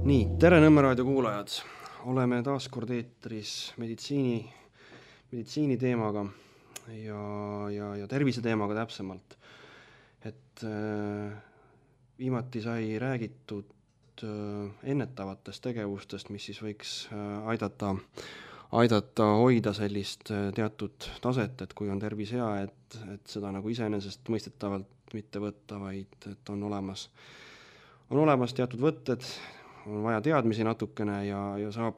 Nii, tere Nõmme raadio kuulajad. Oleme taas kord eetris meditsiini teemaga ja tervise teemaga täpsemalt. Et viimati sai räägitud ennetavatest tegevustest, mis siis võiks aidata hoida sellist teatud taset, et kui on tervis hea, et seda nagu iseenesest mõistetavalt mitte võtta, vaid et on olemas teatud võtted, on vaja teadmisi natukene ja saab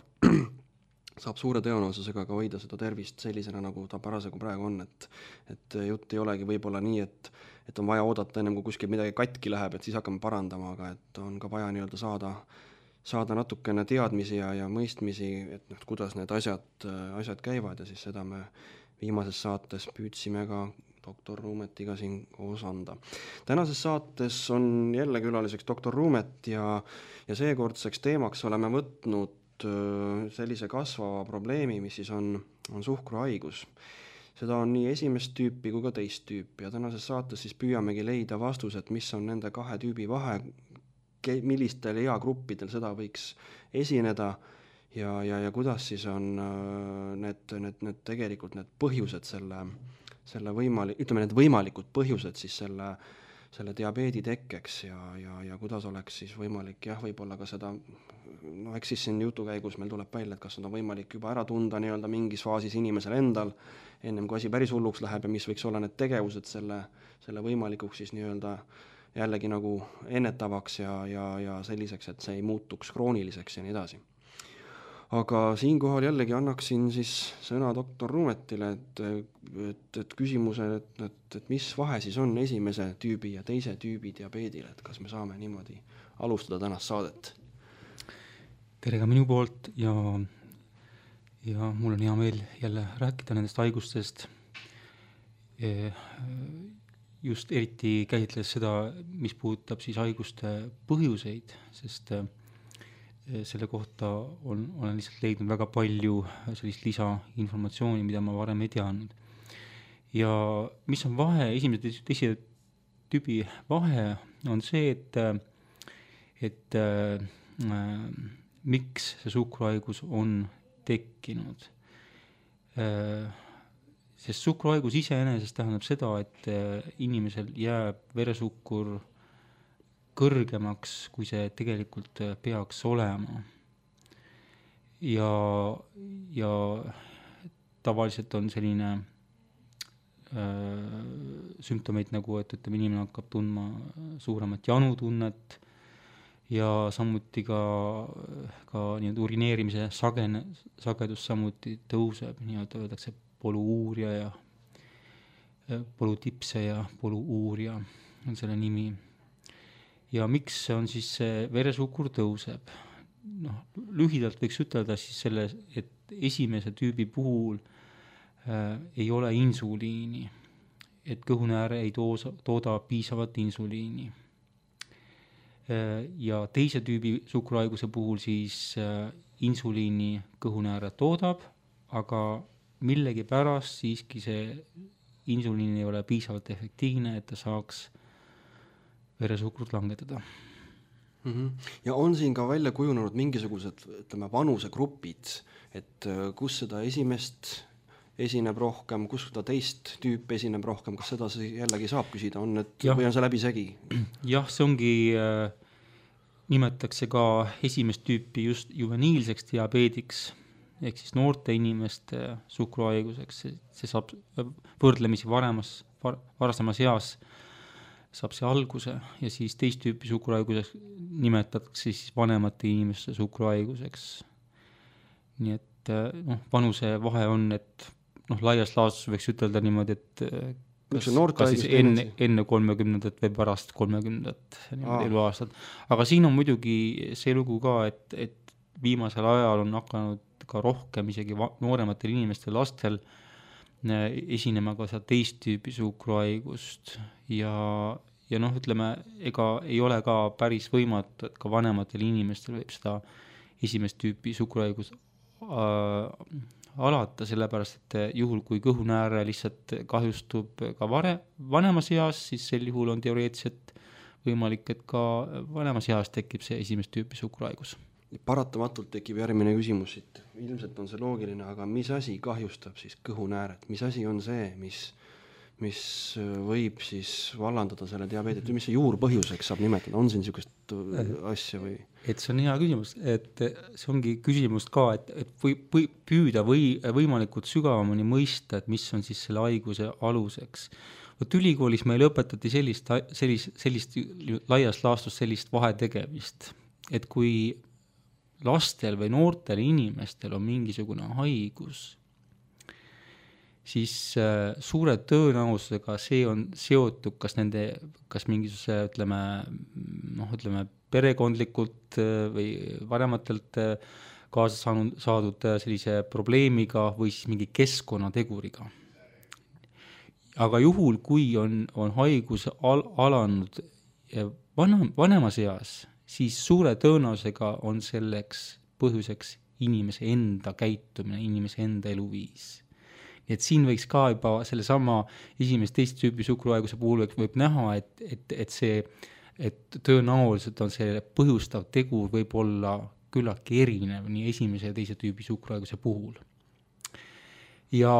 suure tõenäosusega ka hoida seda tervist sellisena, nagu ta parasjagu praegu on, et jutt ei olegi võib-olla nii, et on vaja oodata ennem, kui kuskil midagi katki läheb, et siis hakkame parandama, aga et on ka vaja nii-öelda saada natukene teadmisi ja mõistmisi, et kuidas need asjad käivad ja siis seda me viimases saates püüdsime ka doktor Ruumetiga siin koos anda. Tänases saates on jälle külaliseks doktor Ruumet ja seekordseks teemaks oleme võtnud sellise kasvava probleemi, mis siis on suhkruhaigus. Seda on nii esimest tüüpi kui ka teist tüüpi ja tänases saates siis püüamegi leida vastused, mis on nende kahe tüübi vahe, millistel eagruppidel seda võiks esineda ja kuidas siis on need tegelikult need põhjused need võimalikud põhjused siis selle diabeedi tekkeks ja kuidas oleks siis võimalik võib-olla ka seda, eks siis siin jutu käigus meil tuleb välja, et kas seda on võimalik juba ära tunda nii-öelda mingis faasis inimesel endal, ennem kui asi päris hulluks läheb ja mis võiks olla need tegevused selle võimalikuks siis nii-öelda jällegi nagu ennetavaks ja selliseks, et see ei muutuks krooniliseks ja nii edasi. Aga siinkohal jällegi annaksin siis sõna doktor Ruumetile, et küsimuse, et mis vahe siis on esimese tüübi ja teise tüübi diabeedil, et kas me saame niimoodi alustada tänast saadet? Tere ka minu poolt ja mul on hea meel jälle rääkida nendest haigustest. Just eriti käsitles seda, mis puudutab siis haiguste põhjuseid, sest selle kohta olen lihtsalt leidnud väga palju sellist lisainformatsiooni, mida ma varem ei teadnud. Ja mis on vahe, esimese ja teise tüübi vahe on see, et miks see suhkruhaigus on tekkinud. Sest suhkruhaigus iseenesest tähendab seda, et inimesel jääb veresuhkur kõrgemaks, kui see tegelikult peaks olema. Ja tavaliselt on selline sümptomeid nagu, et inimene hakkab tundma suuremat janutunnet ja samuti ka nii-öelda urineerimise sagedus samuti tõuseb, nii-öelda öeldakse poluuuria ja polutipse ja poluuuria on selle nimi. Ja miks on siis see veresuhkur tõuseb? Lühidalt võiks ütelda siis selle, et esimese tüübi puhul ei ole insuliini, et kõhunääre ei tooda piisavat insuliini. Ja teise tüübi suhkruhaiguse puhul siis insuliini kõhunääre toodab, aga millegi pärast siiski see insuliin ei ole piisavalt efektiivne, et ta saaks veresuhkrut langetada. Ja on siin ka välja kujunenud mingisugused, vanusegrupid, et kus seda esimest esineb rohkem, kus seda teist tüüp esineb rohkem, kas seda jällegi saab küsida, või on see läbisegi? Jah, see ongi, nimetatakse ka esimest tüüpi just juveniilseks diabeediks, ehk siis noorte inimeste suhkruhaiguseks, see saab võrdlemisi varasemas eas saab see alguse ja siis teist tüüpi suhkruhaiguseks nimetatakse siis vanemate inimeste suhkruhaiguseks. Nii et vanuse vahe on, et laias laastus võiks ütelda niimoodi, et kas siis enne 30 või pärast 30 eluaastat. Aga siin on muidugi see lugu ka, et viimasel ajal on hakanud ka rohkem isegi noorematel inimestel lastel esinema ka seda teist tüüpi suhkruhaigust ja ega ei ole ka päris võimatu, et ka vanematel inimestel võib seda esimest tüüpi suhkruhaigus alata, sellepärast, et juhul kui kõhunääre lihtsalt kahjustub ka vanemas eas, siis sel juhul on teoreetiliselt võimalik, et ka vanemas eas tekib see esimest tüüpi suhkruhaigus. paratamatult tekib järgmine küsimus siit, ilmselt on see loogiline, aga mis asi kahjustab siis kõhunääret, mis asi on see, mis võib siis vallandada selle diabeedi, mis see juurpõhjuseks saab nimetada, on siin niisugust asja või? Et see on hea küsimus, et see ongi küsimus ka, et püüda võimalikult sügavamini mõista, et mis on siis selle haiguse aluseks. Võt ülikoolis meil õpetati sellist laias laastus sellist vahetegemist, et kui lastel või noortel inimestel on mingisugune haigus, siis suure tõenäosusega see on seotud kas mingisuguse, ütleme perekondlikult või vanematelt kaasa saadud sellise probleemiga või siis mingi keskkonnateguriga. Aga juhul, kui on haigus alanud vanemas eas, siis suure tõenäosusega on selleks põhjuseks inimese enda käitumine, inimese enda eluviis. Et siin võiks ka juba sellesama esimest teist tüüpi suhkruhaiguse puhul võib näha, et tõenäoliselt on see põhjustav tegur võib olla küllaltki erinev nii esimese ja teise tüübi suhkruhaiguse puhul. Ja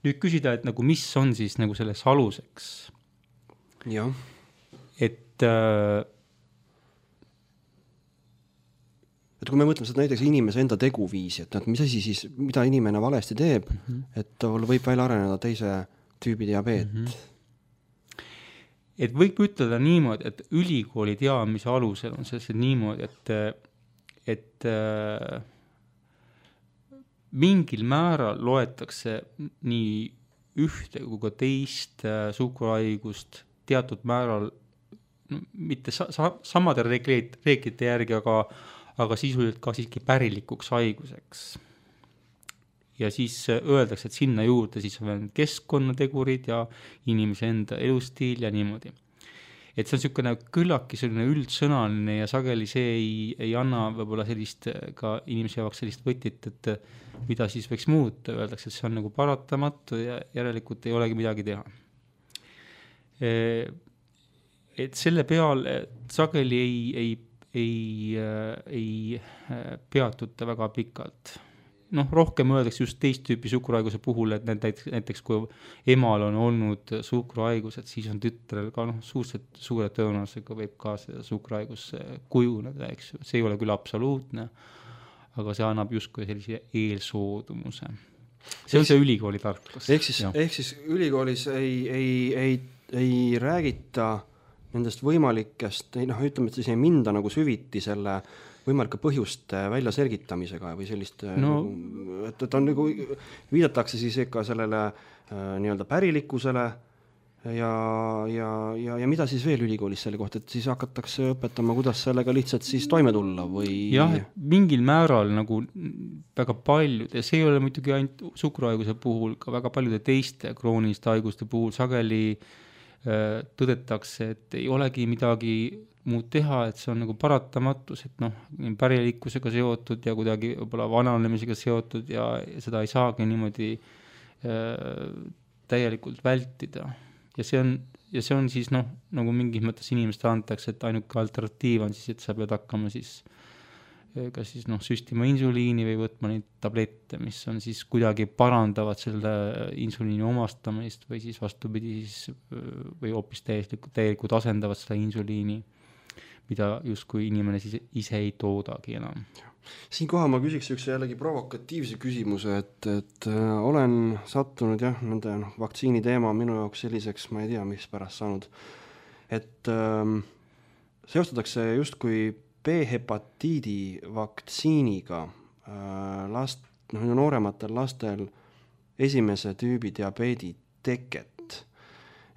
nüüd küsida, et nagu mis on siis nagu selles aluseks. Ja. Et kui me mõtleme seda näiteks inimese enda teguviisi, et mis asi siis, mida inimene valesti teeb, et tal võib välja areneda teise tüübi diabeet. Et võib ütelda niimoodi, et ülikooli teadmise alusel on see niimoodi, et mingil määral loetakse nii ühte kui ka teist suhkruhaigust teatud määral, mitte samade reeglite järgi, aga sisuliselt ka siiski pärilikuks haiguseks. Ja siis öeldakse, et sinna juurde siis on keskkonnategurid ja inimese enda elustiil ja niimoodi. Et see on niisugune küllaki selline üldsõnaline ja sageli see ei anna võib-olla sellist ka inimese jaoks sellist võtit, et mida siis võiks muuta. Öeldakse, et see on nagu paratamatu ja järelikult ei olegi midagi teha. Et selle peale sageli ei peatuta väga pikalt. Rohkem öeldakse just teist tüüpi suhkruhaiguse puhul, et näiteks kui emal on olnud suhkruhaigus, et siis on tütrel ka suure tõenäosusega võib ka see suhkruhaigus kujuneda, eks. See ei ole küll absoluutne, aga see annab justkui sellise eelsoodumuse. See on see ülikooli tarkus. Ehk siis ülikoolis ei räägita nendest võimalikest, ütleme, et siis ei minda nagu süviti selle võimalike põhjuste välja selgitamisega või sellist, et on nagu, viidatakse siis ikka sellele nii-öelda pärilikkusele ja mida siis veel ülikoolis selle kohta, et siis hakatakse õpetama, kuidas sellega lihtsalt siis toime tulla või? Jah, mingil määral nagu väga paljud, ja see ei ole muidugi ainult suhkruhaiguse puhul, ka väga paljude teiste krooniliste haiguste puhul sageli tõdetakse, et ei olegi midagi muud teha, et see on nagu paratamatus, et pärilikkusega seotud ja kuidagi võib-olla vananemisega seotud ja seda ei saagi niimoodi täielikult vältida. Ja see on siis nagu mingis mõttes inimestele antakse, et ainuke alternatiiv on siis, et sa pead hakkama siis kas siis süstima insuliini või võtma neid tablette, mis on siis kuidagi parandavad selle insuliini omastamist või siis vastupidi siis, või hoopis täielikult asendavad seda insuliini, mida justkui inimene siis ise ei toodagi enam. Siinkohal ma küsiks üks jällegi provokatiivse küsimuse, et olen sattunud nende vaktsiini teema minu jaoks selliseks, ma ei tea, mis pärast saanud, et seostatakse justkui B-hepatiidi vaktsiiniga noorematel lastel esimese tüübi diabeedi teket.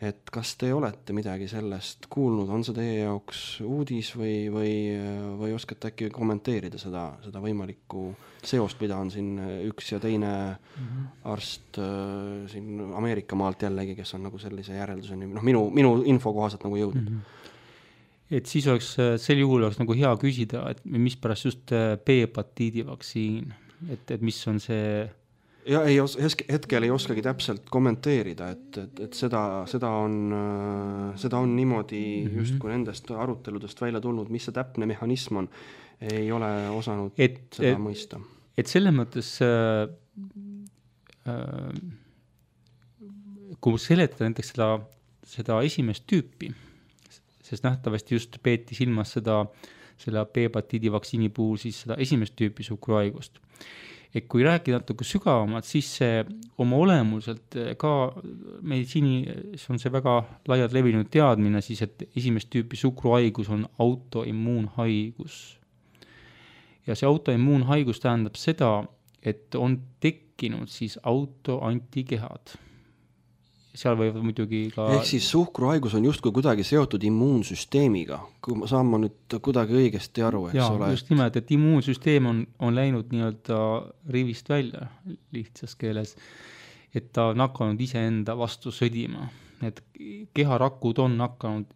Et kas te olete midagi sellest kuulnud, on see teie jaoks uudis või oskate äkki kommenteerida seda võimalikku seost, mida on siin üks ja teine arst siin Ameerika maalt jällegi, kes on nagu sellise järelduseni, minu info kohaselt nagu jõudnud. Et siis sel juhul oleks nagu hea küsida, et mis pärast just B-hepatiidi vaktsiin, et mis on see ja hetkel ei oskagi täpselt kommenteerida, et seda on niimoodi just kui nendest aruteludest välja tulnud, mis see täpne mehhanism on, ei ole osanud seda mõista. Et selles mõttes kui seletada näiteks seda esimest tüüpi, sest nähtavasti just peeti silmas selle B-hepatiidi vaktsiini puhul siis seda esimest tüüpi suhkruhaigust. Et kui rääkida natuke sügavamalt, siis see oma olemuselt ka meditsiinis on see väga laialt levinud teadmine siis, et esimest tüüpi suhkruhaigus on autoimmuunhaigus. Ja see autoimmuunhaigus tähendab seda, et on tekkinud siis autoantikehad. Seal võivad muidugi ka... Ehk siis suhkruhaigus on justkui kuidagi seotud immuunsüsteemiga, kui saan ma nüüd kuidagi õigesti aru, eks ole? Just nimelt, et immuunsüsteem on läinud nii-öelda rivist välja lihtsas keeles, et ta on hakanud iseenda vastu sõdima. Et keharakud on hakanud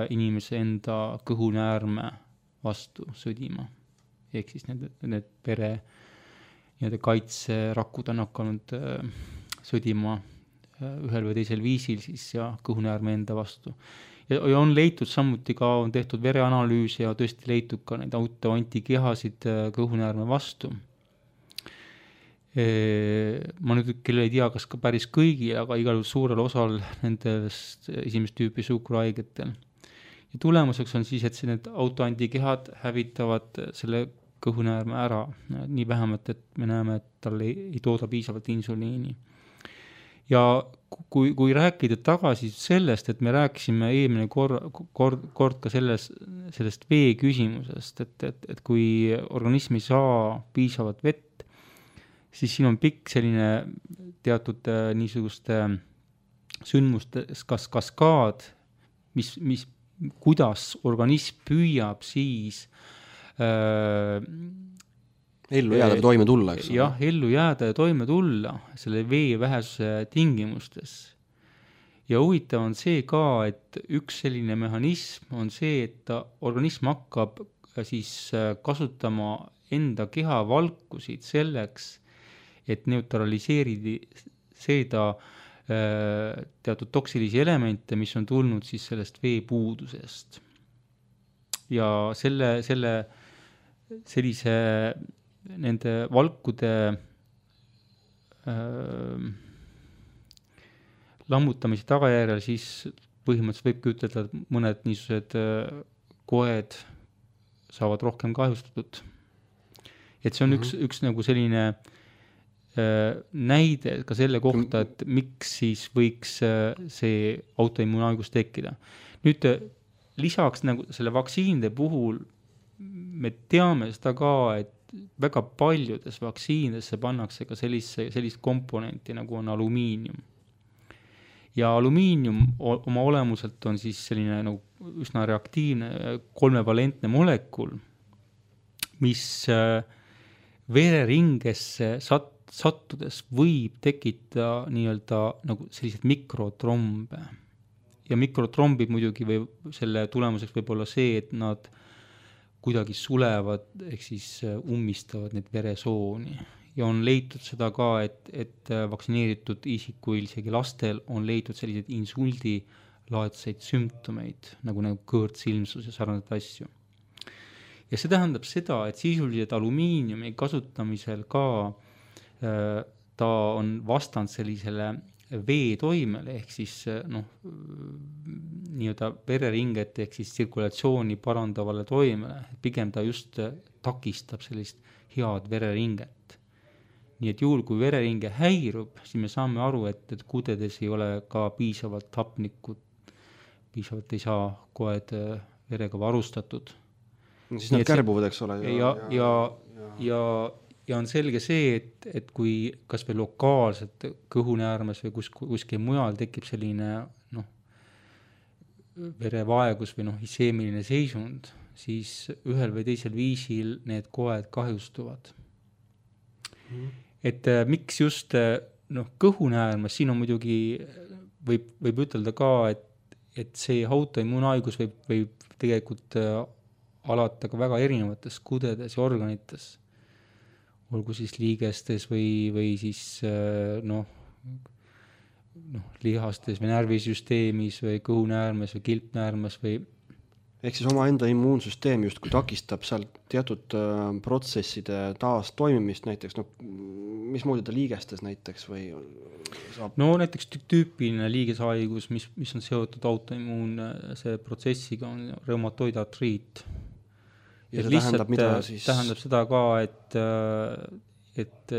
inimese enda kõhunäärme vastu sõdima. Ehk siis need pere kaitserakud on hakanud sõdima ühel või teisel viisil siis ja kõhunäärme enda vastu. Ja on leitud samuti ka, on tehtud vereanalüüsi ja tõesti leitud ka neid autoantikehasid kõhunäärme vastu. Ma nüüd küll ei tea, kas ka päris kõigi, aga igal suurel osal nendest esimest tüüpi suhkruhaigetel. Ja tulemuseks on siis, et need autoantikehad hävitavad selle kõhunäärme ära. Nii vähemalt, et me näeme, et tal ei tooda piisavalt insuliini. Ja kui rääkida tagasi sellest, et me rääkisime eelmine kord ka sellest vee küsimusest, et kui organism ei saa piisavalt vett, siis siin on pikk selline teatud niisuguste sündmustes kaskaad, kuidas organism püüab siis ellu jääda ja toime tulla, eks? Jah, ellu jääda ja toime tulla selle vee vähesuse tingimustes. Ja huvitav on see ka, et üks selline mehhanism on see, et organism hakkab siis kasutama enda keha valkusid selleks, et neutraliseerida teatud toksilisi elemente, mis on tulnud siis sellest veepuudusest. Ja sellise nende valkude lammutamise tagajärjel siis põhimõtteliselt võibki ütelda, et mõned niisugused koed saavad rohkem kahjustatud. Et see on üks nagu selline näide ka selle kohta, et miks siis võiks see autoimmuunhaigus tekkida. Nüüd lisaks nagu selle vaktsiinide puhul me teame seda ka, et väga paljudes vaktsiinidesse pannakse ka sellist komponenti nagu on alumiinium. Ja alumiinium oma olemuselt on siis selline nagu üsna reaktiivne kolmevalentne molekul, mis vereringesse sattudes võib tekitada nii-öelda nagu sellised mikrotrombe. Ja mikrotrombid muidugi või selle tulemuseks võib olla see, et nad kuidagi sulevad, ehk siis ummistavad need veresooni. Ja on leitud seda ka, et vaktsineeritud isikuil, isegi lastel, on leitud selliseid insuldilaadseid sümptomeid, nagu kõõrtsilmsus ja sarnased asju. Ja see tähendab seda, et sisuliselt alumiiniumi kasutamisel ka ta on vastand sellisele veetoimele, ehk siis nii-öelda vereringet ehk siis tsirkulatsiooni parandavale toimele. Pigem ta just takistab sellist head vereringet. Nii et juhul, kui vereringe häirub, siis me saame aru, et kudedes ei ole ka piisavalt hapnikut, piisavalt ei saa koed verega varustatud. Siis nad kärbuvad, eks ole. Ja on selge see, et kui kas või lokaalselt kõhunäärmes või kuskil mujal tekib selline verevaegus või iseemiline seisund, siis ühel või teisel viisil need koed kahjustuvad. Et miks just kõhunäärmes, siin on muidugi, võib ütelda ka, et see autoimmuunhaigus võib tegelikult alata ka väga erinevates kudedes ja organites. olgu siis liigestes või siis lihastes või närvisüsteemis või kõhunäärmes või kilpnäärmes või ehk siis omaenda immuunsüsteem justkui takistab seal teatud protsesside taas toimimist näiteks, mismoodi ta liigestes näiteks või saab? No näiteks tüüpiline liigeshaigus, mis on seotud autoimmuunse protsessiga, on reumatoidartriit. Ja see tähendab mida siis? Tähendab seda ka, et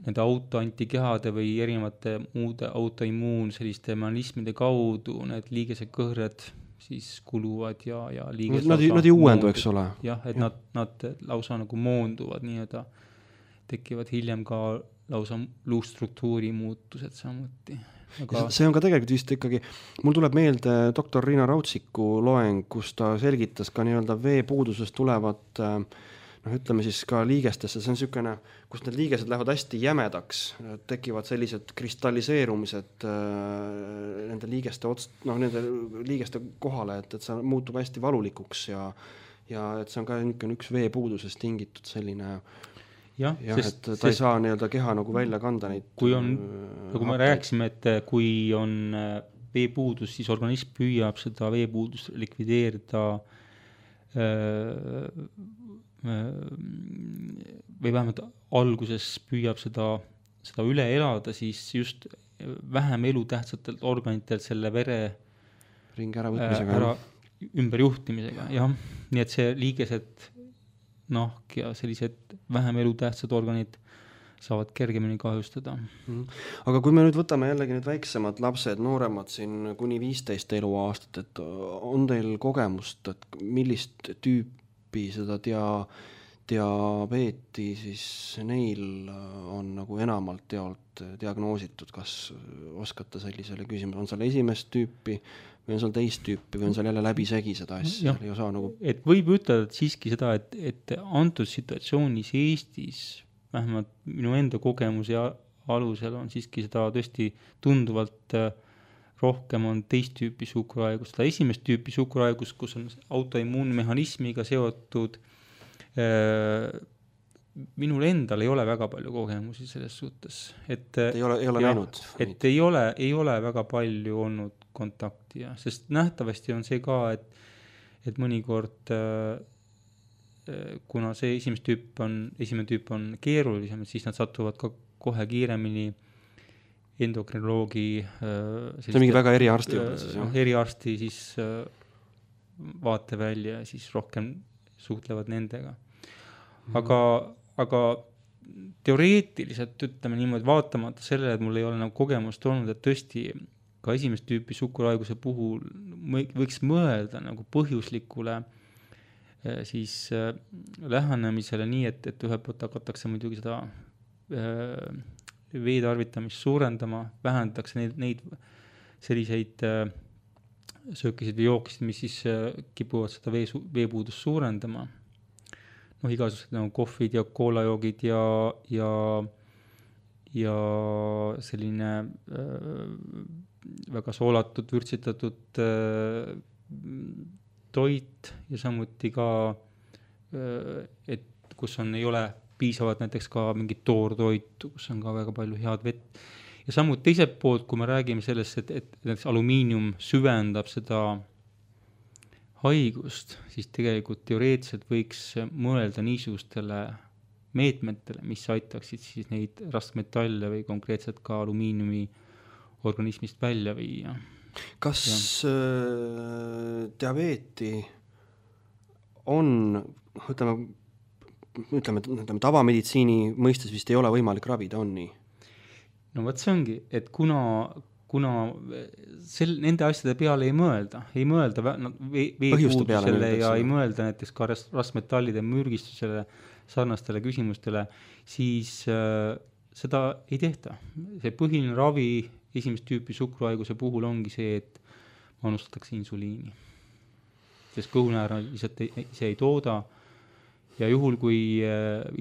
nende autoantikehade või erinevate muude autoimmuun selliste mehhanismide kaudu need liigesekõhred siis kuluvad ja liiges nad ei uuendu, eks ole. Jah, et nad lausa nagu moonduvad nii-öelda, tekivad hiljem ka lausa luustruktuuri muutused samuti. Aga... See on ka tegelikult vist ikkagi, mul tuleb meelde doktor Riina Rautsiku loeng, kus ta selgitas ka nii-öelda veepuudusest tulevat ütleme siis ka liigestesse, see on niisugune, kus need liigesed lähevad hästi jämedaks, tekivad sellised kristalliseerumised nende liigeste nende liigeste kohale, et see muutub hästi valulikuks ja et see on ka üks veepuudusest tingitud selline et ta ei saa nii-öelda keha nagu välja kanda neid. Kui on, nagu me rääkisime, et kui on veepuudus, siis organism püüab seda veepuudust likvideerida või vähemalt alguses püüab seda üle elada, siis just vähem elutähtsatelt organitelt selle vere ringi äravõtmisega ümberjuhtimisega, jah. Nii et see liigesed nahk ja sellised vähem elutähtsad organid saavad kergemini kahjustada. Aga kui me nüüd võtame jällegi need väiksemad lapsed, nooremad siin kuni 15 eluaastat, et on teil kogemust, et millist tüüpi seda diabeeti siis neil on nagu enamalt diagnoositud, kas oskate sellisele küsimusele, on seal esimest tüüpi või on seal teist tüüpi või on seal jälle läbisegi seda asja? Et võib ütelda siiski seda, et antud situatsioonis Eestis, vähemalt minu enda kogemuse alusel on siiski seda tõesti tunduvalt rohkem on teist tüüpi suhkruhaigus. Seda esimest tüüpi suhkruhaigus, kus on autoimmuunmehhanismiga seotud, minul endal ei ole väga palju kogemusi selles suhtes. Ei ole näinud? Et ei ole väga palju olnud kontakti, sest nähtavasti on see ka, et mõnikord kuna see esimene tüüp on keerulisem, siis nad satuvad ka kohe kiiremini endokrinoloogi see on mingi väga eriarsti eriarsti siis vaatevälja ja siis rohkem suhtlevad nendega. Aga teoreetiliselt ütleme niimoodi, vaatamata sellele, et mul ei ole nagu kogemust olnud, et tõesti ka esimest tüüpi suhkruhaiguse puhul võiks mõelda nagu põhjuslikule siis lähenemisele nii, et ühelt poolt hakatakse muidugi seda veetarvitamist suurendama, vähendatakse neid selliseid söökisid või jookisid, mis siis kipuvad seda veepuudust suurendama. Igasugused nagu kohvid ja koolajoogid ja selline väga soolatud, vürtsitatud toit ja samuti ka, et kus ei ole piisavalt näiteks ka mingit toortoitu, kus on ka väga palju head vett. Ja samuti teiselt poolt, kui me räägime sellest, et näiteks alumiinium süvendab seda haigust, siis tegelikult teoreetiliselt võiks mõelda niisugustele meetmetele, mis aitaksid siis neid raskmetalle või konkreetselt ka alumiiniumi organismist välja viia. Kas diabeeti on, ütleme tavameditsiini mõistes vist ei ole võimalik ravida, on nii? No võt see ongi, et kuna nende asjade peale ei mõelda veepuudusele ja ei mõelda näiteks ka raskmetallide mürgistusele, sarnastele küsimustele, siis seda ei tehta. See põhiline ravi esimest tüüpi suhkruhaiguse puhul ongi see, et manustatakse insuliini. Sest kõhunäära lihtsalt ise ei tooda ja juhul, kui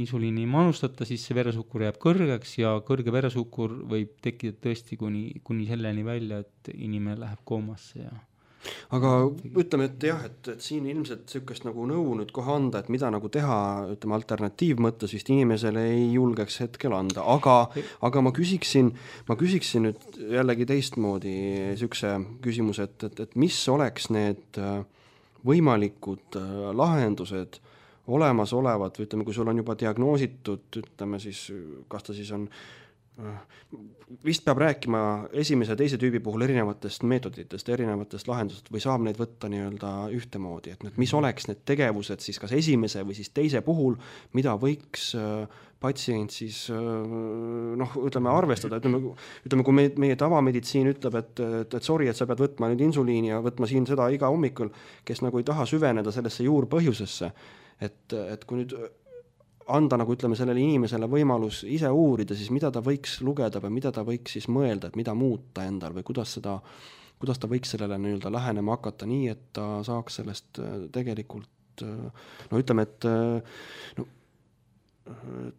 insuliini ei manustata, siis see veresuhkur jääb kõrgeks ja kõrge veresuhkur võib tekkida tõesti kuni selleni välja, et inimene läheb koomasse. aga ütleme, et jah, et siin ilmselt niisugust nagu nõu nüüd kohe anda, et mida nagu teha, ütleme alternatiivmõttes vist inimesele ei julgeks hetkel anda, aga ma küsiksin nüüd jällegi teistmoodi niisuguse küsimuse, et mis oleks need võimalikud lahendused olemasolevad või ütleme, kui sul on juba diagnoositud, ütleme siis, kas ta siis on vist peab rääkima esimese ja teise tüübi puhul erinevatest meetoditest, erinevatest lahendustest või saab neid võtta nii-öelda ühtemoodi, et mis oleks need tegevused siis kas esimese või siis teise puhul, mida võiks patsient siis ütleme arvestada, ütleme kui meie tavameditsiin ütleb, et sorry, et sa pead võtma nüüd insuliini ja võtma siin seda iga hommikul, kes nagu ei taha süveneda sellesse juurpõhjusesse, et kui nüüd anda nagu ütleme sellele inimesele võimalus ise uurida, siis mida ta võiks lugeda või mida ta võiks siis mõelda, et mida muuta endal või kuidas ta võiks sellele nii-öelda lähenema hakata nii, et ta saaks sellest tegelikult ütleme, et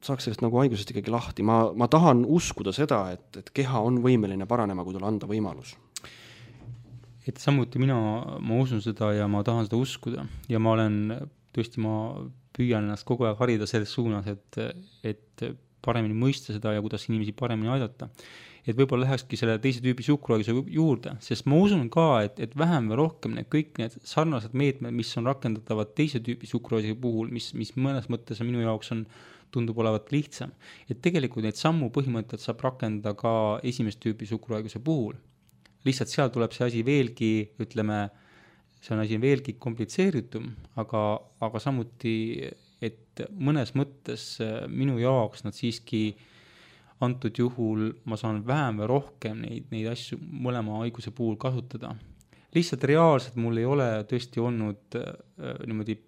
saaks sellest nagu haigusest ikkagi lahti. Ma tahan uskuda seda, et keha on võimeline paranema, kui talle anda võimalus. Et samuti ma usun seda ja ma tahan seda uskuda ja ma püüan ennast kogu aeg harida selles suunas, et paremini mõista seda ja kuidas inimesi paremini aidata. Et võib-olla lähekski selle teise tüübi suhkruhaiguse juurde, sest ma usun ka, et vähem või rohkem kõik need sarnased meetmed, mis on rakendatavad teise tüübi suhkruhaiguse puhul, mis mõnes mõttes minu jaoks tundub olevat lihtsam. Et tegelikult neid sammu põhimõtted saab rakendada ka esimest tüübi suhkruhaiguse puhul. Lihtsalt seal tuleb see asi veelgi, ütleme, see on asi veelgi komplitseeritum, aga samuti, et mõnes mõttes minu jaoks nad siiski antud juhul ma saan vähem või rohkem neid asju mõlema haiguse puhul kasutada. Lihtsalt reaalselt mul ei ole tõesti olnud niimoodi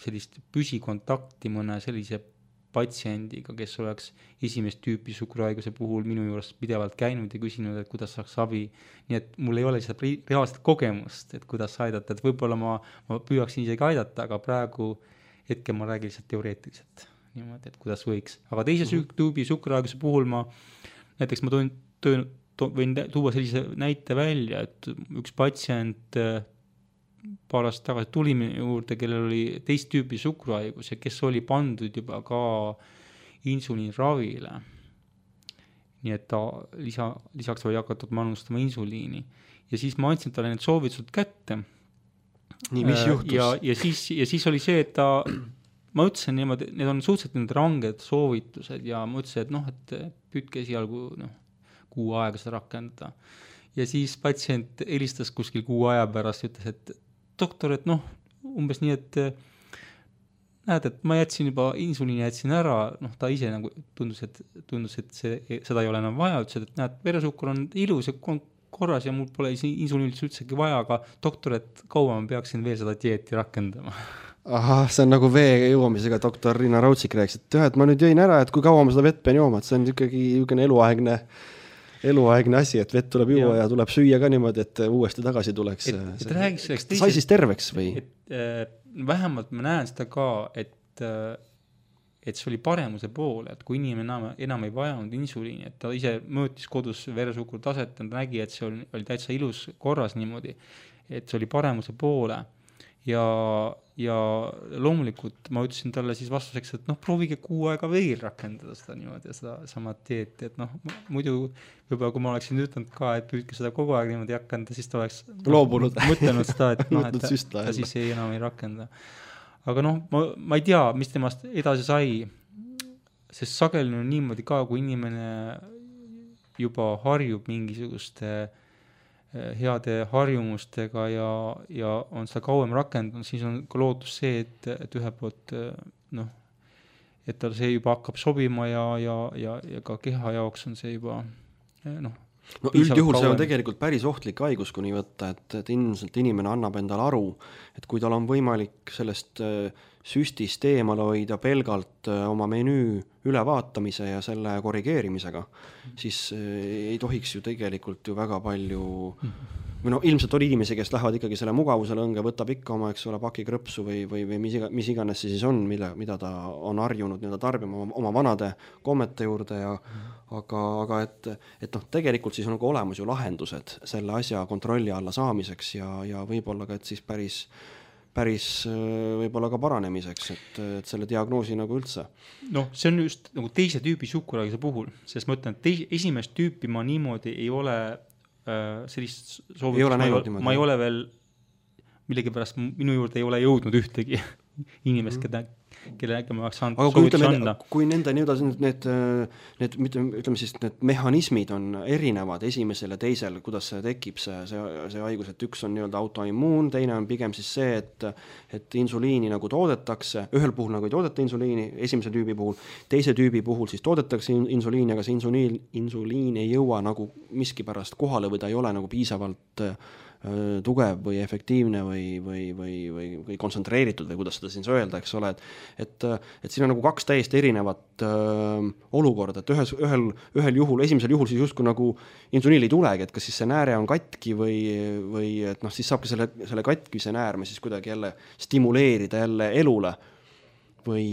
sellist püsikontakti mõne sellise patsiendiga, kes oleks esimest tüüpi suhkruhaiguse puhul minu juures pidevalt käinud ja küsinud, et kuidas saaks abi. Nii et mul ei ole lihtsalt reaalset kogemust, et kuidas aidata, et võib-olla ma püüaksin isegi aidata, aga praegu hetkel ma räägin lihtsalt teoreetiliselt niimoodi, et kuidas võiks. Aga teise tüübi suhkruhaiguse puhul näiteks ma võin tuua sellise näite välja, et üks patsient paar aastat tagasi tuli minu juurde, kellel oli teist tüüpi suhkruhaigus ja kes oli pandud juba ka insuliiniravile. Nii et ta lisaks oli hakatud manustama insuliini. Ja siis ma andsin talle need soovitused kätte. Nii, mis juhtus? Ja siis oli see, et ma ütlesin niimoodi, need on suhteliselt ranged soovitused ja ma ütlesin, et püüdke esialgu kuu aega seda rakendada. Ja siis patsient helistas kuskil kuu aja pärast ja ütles, et doktor, et umbes nii, et näed, et ma jätsin juba insuliini ära, ta ise nagu tundus, et seda ei ole enam vaja, ütles, et näed, veresuhkur on ilus ja korras ja mul pole insuliini üldsegi vaja, aga doktor, et kaua ma peaksin veel seda dieeti rakendama. Ahah, see on nagu vee joomisega doktor Riina Raudsik rääkis, et ma nüüd jõin ära, et kui kaua ma seda vett pean jooma, et see on ikkagi eluaegne asi, et vett tuleb juua ja tuleb süüa ka niimoodi, et uuesti tagasi tuleks. Sai siis terveks või? Vähemalt ma näen seda ka, et see oli paremuse poole, et kui inimene enam ei vajanud insuliini, et ta ise mõõtis kodus veresuhkru taset, ta nägi, et see oli täitsa ilus korras niimoodi, et see oli paremuse poole ja loomulikult ma ütlesin talle siis vastuseks, et proovige kuu aega veel rakendada seda niimoodi ja seda sama dieeti, et muidu võib-olla kui ma oleksin ütelnud ka, et püüdke seda kogu aeg niimoodi rakendada, siis ta oleks mõtelnud seda, et ta siis enam ei rakenda. Aga ma ei tea, mis temast edasi sai, sest sageli on niimoodi ka, kui inimene juba harjub mingisuguste heade harjumustega ja on seda kauem rakendanud, siis on ka lootus see, et ühelt poolt et tal see juba hakkab sobima ja ka keha jaoks on see juba üldjuhul see on tegelikult päris ohtlik haigus, kui nii võtta, et ilmselt inimene annab endale aru, et kui tal on võimalik sellest süstist eemale hoida pelgalt oma menüü ülevaatamise ja selle korrigeerimisega, siis ei tohiks ju tegelikult ju väga palju või noh, ilmselt oli inimesi, kes lähevad ikkagi selle mugavuse lõnge, võtab ikka oma, eks ole, paki krõpsu või mis iganes see siis on, mida ta on harjunud nii-öelda tarbima oma vanade kommete juurde ja aga et noh, tegelikult siis on nagu olemas ju lahendused selle asja kontrolli alla saamiseks ja võib-olla ka, et siis päris võib-olla ka paranemiseks, et selle diagnoosi nagu üldse. Noh, see on just nagu teise tüübi suhkruhaiguse puhul, sest ma ütlen, et esimest tüüpi ma niimoodi ei ole sellist soovitust, ma ei ole veel millegipärast minu juurde ei ole jõudnud ühtegi inimest, kellega ma oleks saanud soovitusi anda. Kui nende need ütleme siis, need mehhanismid on erinevad esimesel ja teisel, kuidas see tekib, see haigus, et üks on nii-öelda autoimmuun, teine on pigem siis see, et insuliini nagu toodetakse, ühel puhul nagu ei toodeta insuliini, esimese tüübi puhul, teise tüübi puhul siis toodetakse insuliini, aga see insuliin ei jõua nagu miskipärast kohale või ta ei ole nagu piisavalt tugev või efektiivne või kontsentreeritud või kuidas seda siin öelda, eks ole, et siin on nagu kaks täiesti erinevat olukorda, et ühel juhul, esimesel juhul siis justkui nagu insuliin ei tulegi, et kas siis see nääre on katki või et noh, siis saabki selle katkise näärme siis kuidagi jälle stimuleerida jälle elule või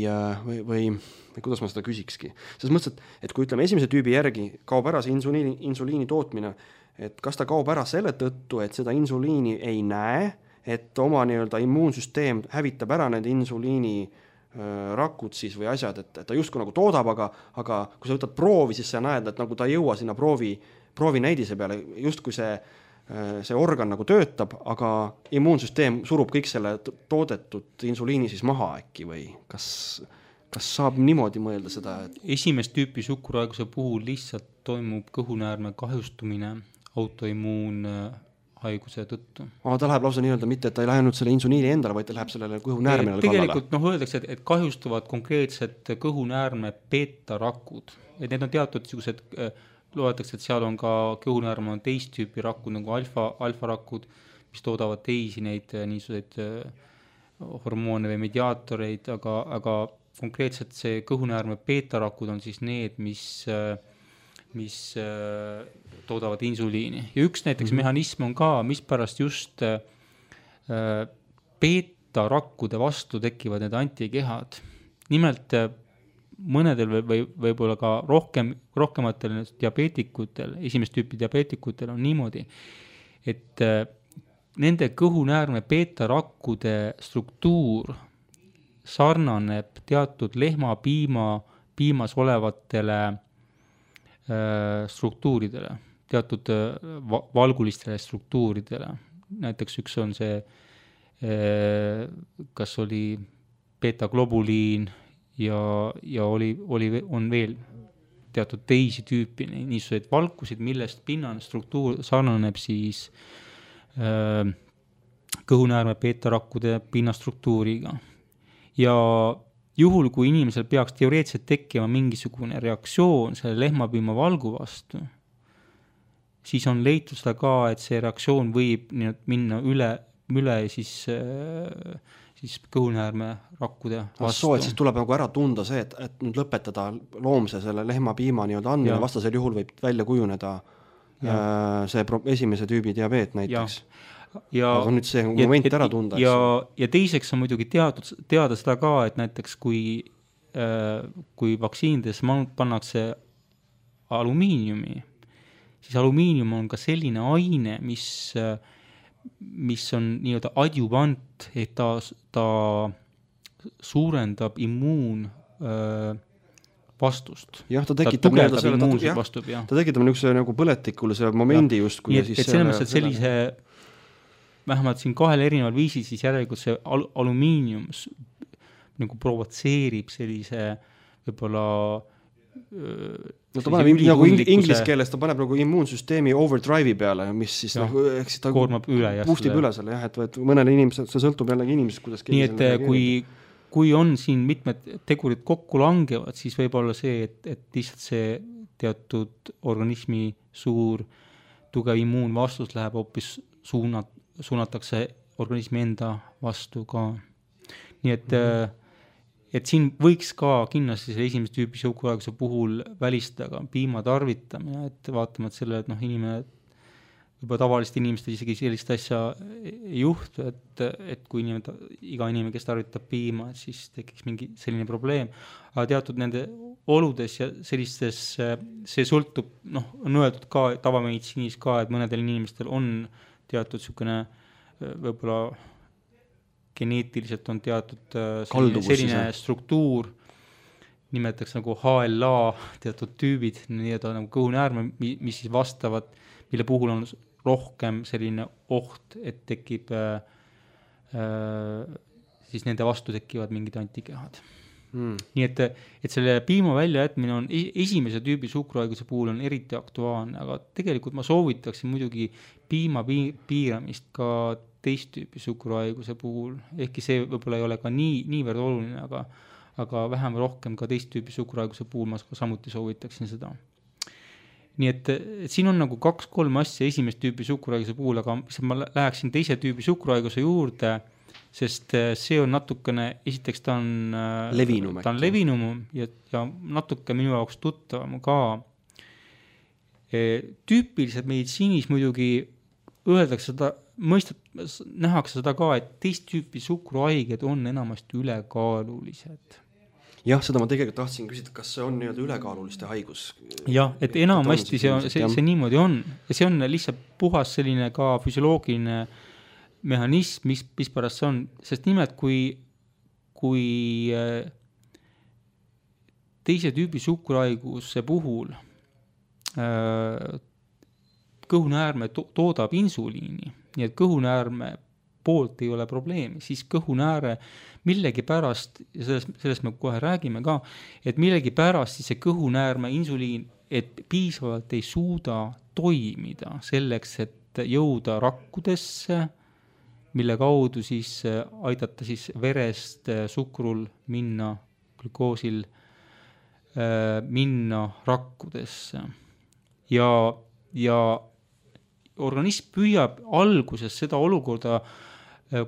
kuidas ma seda küsikski. Selles mõttes, et kui ütleme esimese tüübi järgi kaob ära see insuliini tootmine, et kas ta kaob ära selle tõttu, et seda insuliini ei näe, et oma nii-öelda immuunsüsteem hävitab ära need insuliini rakud siis või asjad, et ta justkui nagu toodab, aga kui sa võtad proovi, siis sa näed, et nagu ta ei jõua sinna proovi näidise peale, justkui see organ nagu töötab, aga immuunsüsteem surub kõik selle toodetud insuliini siis maha äkki või kas saab niimoodi mõelda seda? Esimest tüüpi suhkruhaiguse puhul lihtsalt toimub kõhunäärme kahjustumine autoimmuunhaiguse tõttu. Ta läheb lausa nii-öelda mitte, et ta ei läinud selle insuliini endale, vaid ta läheb sellele kõhunäärmele kallale. Tegelikult öeldakse, et kahjustuvad konkreetselt kõhunäärme beetarakud. Et need on teatud niisugused, loetakse, et seal on ka kõhunäärme on teist tüüpi rakud, nagu alfarakud, mis toodavad teisi neid niisuguseid hormoone või mediaatoreid, aga konkreetselt see kõhunäärme beetarakud on siis need, mis toodavad insuliini. Ja üks näiteks mehhanism on ka, mispärast just beetarakkude vastu tekivad need antikehad. Nimelt mõnedel või võib-olla ka rohkematel diabeetikutel, esimest tüüpi diabeetikutel on niimoodi, et nende kõhunäärme beetarakkude struktuur sarnaneb teatud lehmapiimas olevatele struktuuridele, teatud valgulistele struktuuridele. Näiteks üks on see, kas oli beta-globuliin ja on veel teatud teisi tüüpi niisuguseid valkusid, millest pinnane struktuur sarnaneb siis kõhunäärme beetarakkude pinnastruktuuriga. Ja juhul, kui inimesel peaks teoreetiliselt tekkima mingisugune reaktsioon selle lehmapiima valgu vastu, siis on leitud seda ka, et see reaktsioon võib minna üle siis kõhunäärme rakkude vastu. Et siis tuleb nagu ära tunda see, et nüüd lõpetada loomse selle lehmapiima nii-öelda andmine, vastasel juhul võib välja kujuneda see esimese tüübi diabeet näiteks. Aga nüüd see moment ära tunda. Ja teiseks on muidugi teada seda ka, et näiteks kui vaktsiinides pannakse alumiiniumi, siis alumiinium on ka selline aine, mis on nii-öelda adjuvant, et ta suurendab vastust. Jah, ta tekitab niisuguse nagu põletikulise momendi justkui. Et selles mõttes, et sellise vähemalt siin kahel erineval viisil, siis järelikult see alumiinium nagu provotseerib sellise võib-olla ta paneb nagu inglise keeles, ta paneb nagu immuunsüsteemi overdrive'i peale, mis siis nagu ta koormab üle boostib üle selle, et mõnele inimesele, see sõltub jällegi inimesest, kuidas nii et kui on siin mitmed tegurid kokku langevad, siis võib olla see, et lihtsalt see teatud organismi suur tugev immuunvastus läheb hoopis suunatakse organismi enda vastu ka. Nii et siin võiks ka kindlasti selle esimese tüüpi suhkruhaiguse puhul välistada ka piima tarvitamine, et vaatamata selle, et inimene juba tavaliste inimestel isegi sellist asja ei juhtu, et kui iga inimene, kes tarvitab piima, et siis tekiks mingi selline probleem. Aga teatud nende oludes ja sellistes, see sõltub, on öeldud ka tavameditsiinis ka, et mõnedel inimestel on teatud sükene võib-olla geneetiliselt on teatud selline struktuur, nimetatakse nagu HLA teatud tüübid, nii-öelda nagu kõhunäärme, mis siis vastavad, mille puhul on rohkem selline oht, et tekib siis nende vastu tekivad mingid antikehad. Nii et selle piima väljajätmine on esimese tüübi suhkruhaiguse puhul on eriti aktuaalne, aga tegelikult ma soovitaksin muidugi piima piiramist ka teist tüüpi suhkruhaiguse puhul, ehkki see võib-olla ei ole ka niivõrd oluline, aga vähem rohkem ka teist tüüpi suhkruhaiguse puhul ma samuti soovitaksin seda. Nii et siin on nagu 2-3 asja esimest tüüpi suhkruhaiguse puhul, aga ma läheksin teise tüüpi suhkruhaiguse juurde, sest see on natukene, esiteks ta on levinum ja natuke minu jaoks tuttavam ka. Tüüpiliselt meditsiinis muidugi öeldakse seda, nähakse seda ka, et teist tüüpi suhkruhaiged on enamasti ülekaalulised. Jah, seda ma tegelikult tahtsin küsida, kas see on nii-öelda ülekaaluliste haigus? Jah, et enamasti see niimoodi on. Ja see on lihtsalt puhas selline ka füsioloogiline mehhanism, mis pärast see on. Sest nimelt, kui teise tüübi suhkruhaiguse puhul kõhunäärme toodab insuliini, nii et kõhunäärme poolt ei ole probleemi, siis kõhunääre millegi pärast, ja sellest me kohe räägime ka, et millegi pärast siis see kõhunäärme insuliin, et piisavalt ei suuda toimida selleks, et jõuda rakkudesse, mille kaudu siis aidata siis verest suhkrul minna, glükoosil minna rakkudesse. Ja organism püüab alguses seda olukorda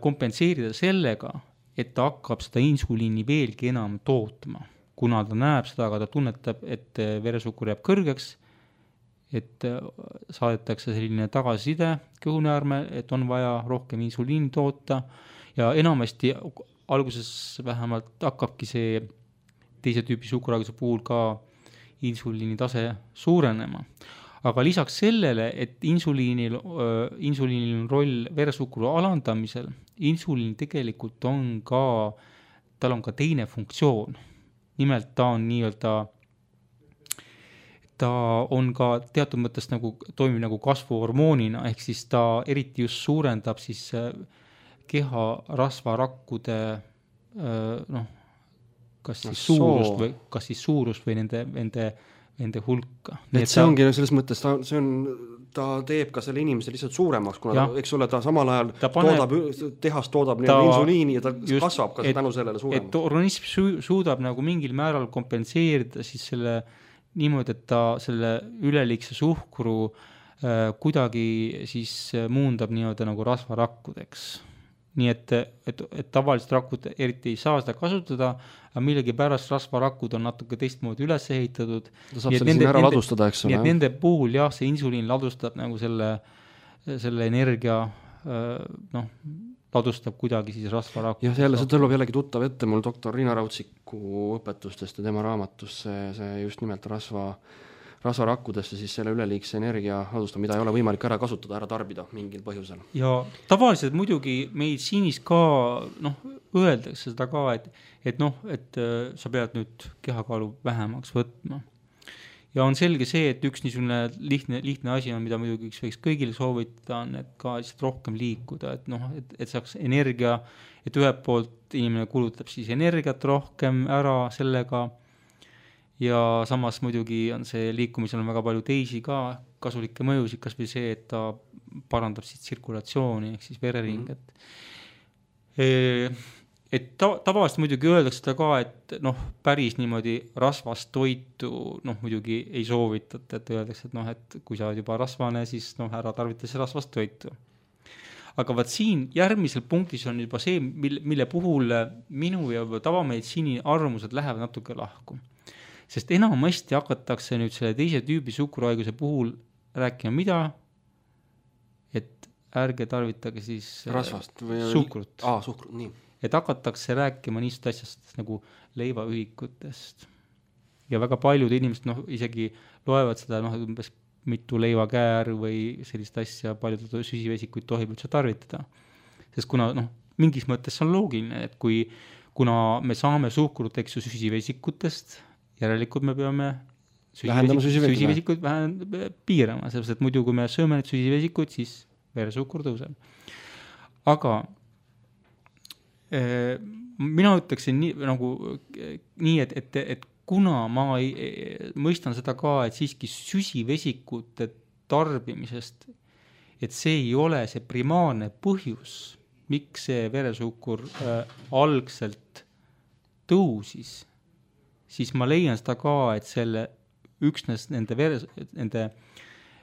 kompenseerida sellega, et ta hakkab seda insuliini veelgi enam tootma. Kuna ta näeb seda, aga ta tunnetab, et veresuhkur jääb kõrgeks, et saadetakse selline tagasiside kõhunäärme, et on vaja rohkem insuliini toota ja enamasti alguses vähemalt hakkabki see teise tüüpi suhkruhaiguse puhul ka insuliini tase suurenema. Aga lisaks sellele, et insuliinil on roll veresuhkru alandamisel, insuliin tegelikult on ka, tal on ka teine funktsioon. Nimelt ta on nii-öelda, ta on ka teatud mõttes nagu, toimib nagu kasvuhormoonina, ehk siis ta eriti just suurendab siis keha rasvarakkude kas siis suurust või nende hulka. Et see ongi selles mõttes, ta teeb ka selle inimese lihtsalt suuremaks, kuna eks ole, ta samal ajal tehas toodab insuliini ja ta kasvab ka tänu sellele suuremaks. Et organism suudab nagu mingil määral kompenseerida siis selle niimoodi, et ta selle üleliigse suhkru kuidagi siis muundab nii-öelda nagu rasvarakkudeks. Nii et tavaliselt rakud eriti ei saa seda kasutada, aga millegi pärast rasvarakud on natuke teistmoodi üles ehitatud. Ta saab selle sinna ära ladustada, eks ole. Nii et nende puhul see insuliin ladustab nagu selle energia, ladustab kuidagi siis rasvarakku. Ja see tõlub jällegi tuttav ette mul doktor Riina Rautsiku õpetustest ja tema raamatus see just nimelt rasvarakkudesse siis selle üleliigse energia ladustab, mida ei ole võimalik ära kasutada, ära tarbida mingil põhjusel. Ja tavaliselt muidugi meditsiinis ka öeldakse seda ka, et sa pead nüüd kehakaalu vähemaks võtma. Ja on selge see, et üks niisugune lihtne asi on, mida muidugi võiks kõigile soovitada, on, et ka lihtsalt rohkem liikuda, et saaks energia, et ühelt poolt inimene kulutab siis energiat rohkem ära sellega, ja samas muidugi on see liikumisel on väga palju teisi ka kasulikke mõjusid, kas või see, et ta parandab siis tsirkulatsiooni ehk siis vereringet. Et tavaliselt muidugi öeldakse seda ka, et päris niimoodi rasvast toitu muidugi ei soovitata, et öeldakse, et kui sa oled juba rasvane, siis ära tarvita see rasvast toitu. Aga vaat siin järgmisel punktis on juba see, mille puhul minu ja tavameditsiini arvamused lähevad natuke lahku. Sest enamasti hakatakse nüüd selle teise tüübi suhkruhaiguse puhul rääkima mida? et ärge tarvitage siis rasvast või suhkrut. Suhkrut, nii. Et hakatakse rääkima niisugust asjast nagu leivaühikutest. Ja väga paljud inimesed isegi loevad seda umbes mitu leivakäär või sellist asja, paljud süsivesikuid tohib üldse tarvitada. Sest kuna mingis mõttes on loogiline, et kuna me saame suhkrut süsivesikutest, järelikult me peame süsivesikuid piirama, sellepärast et muidu kui me sööme need süsivesikuid, siis veresuhkur tõuseb. Aga mina ütleksin nii, et kuna ma mõistan seda ka, et siiski süsivesikute tarbimisest, et see ei ole see primaarne põhjus, miks see veresuhkur algselt tõusis, siis ma leian seda ka, et selle üksnes nende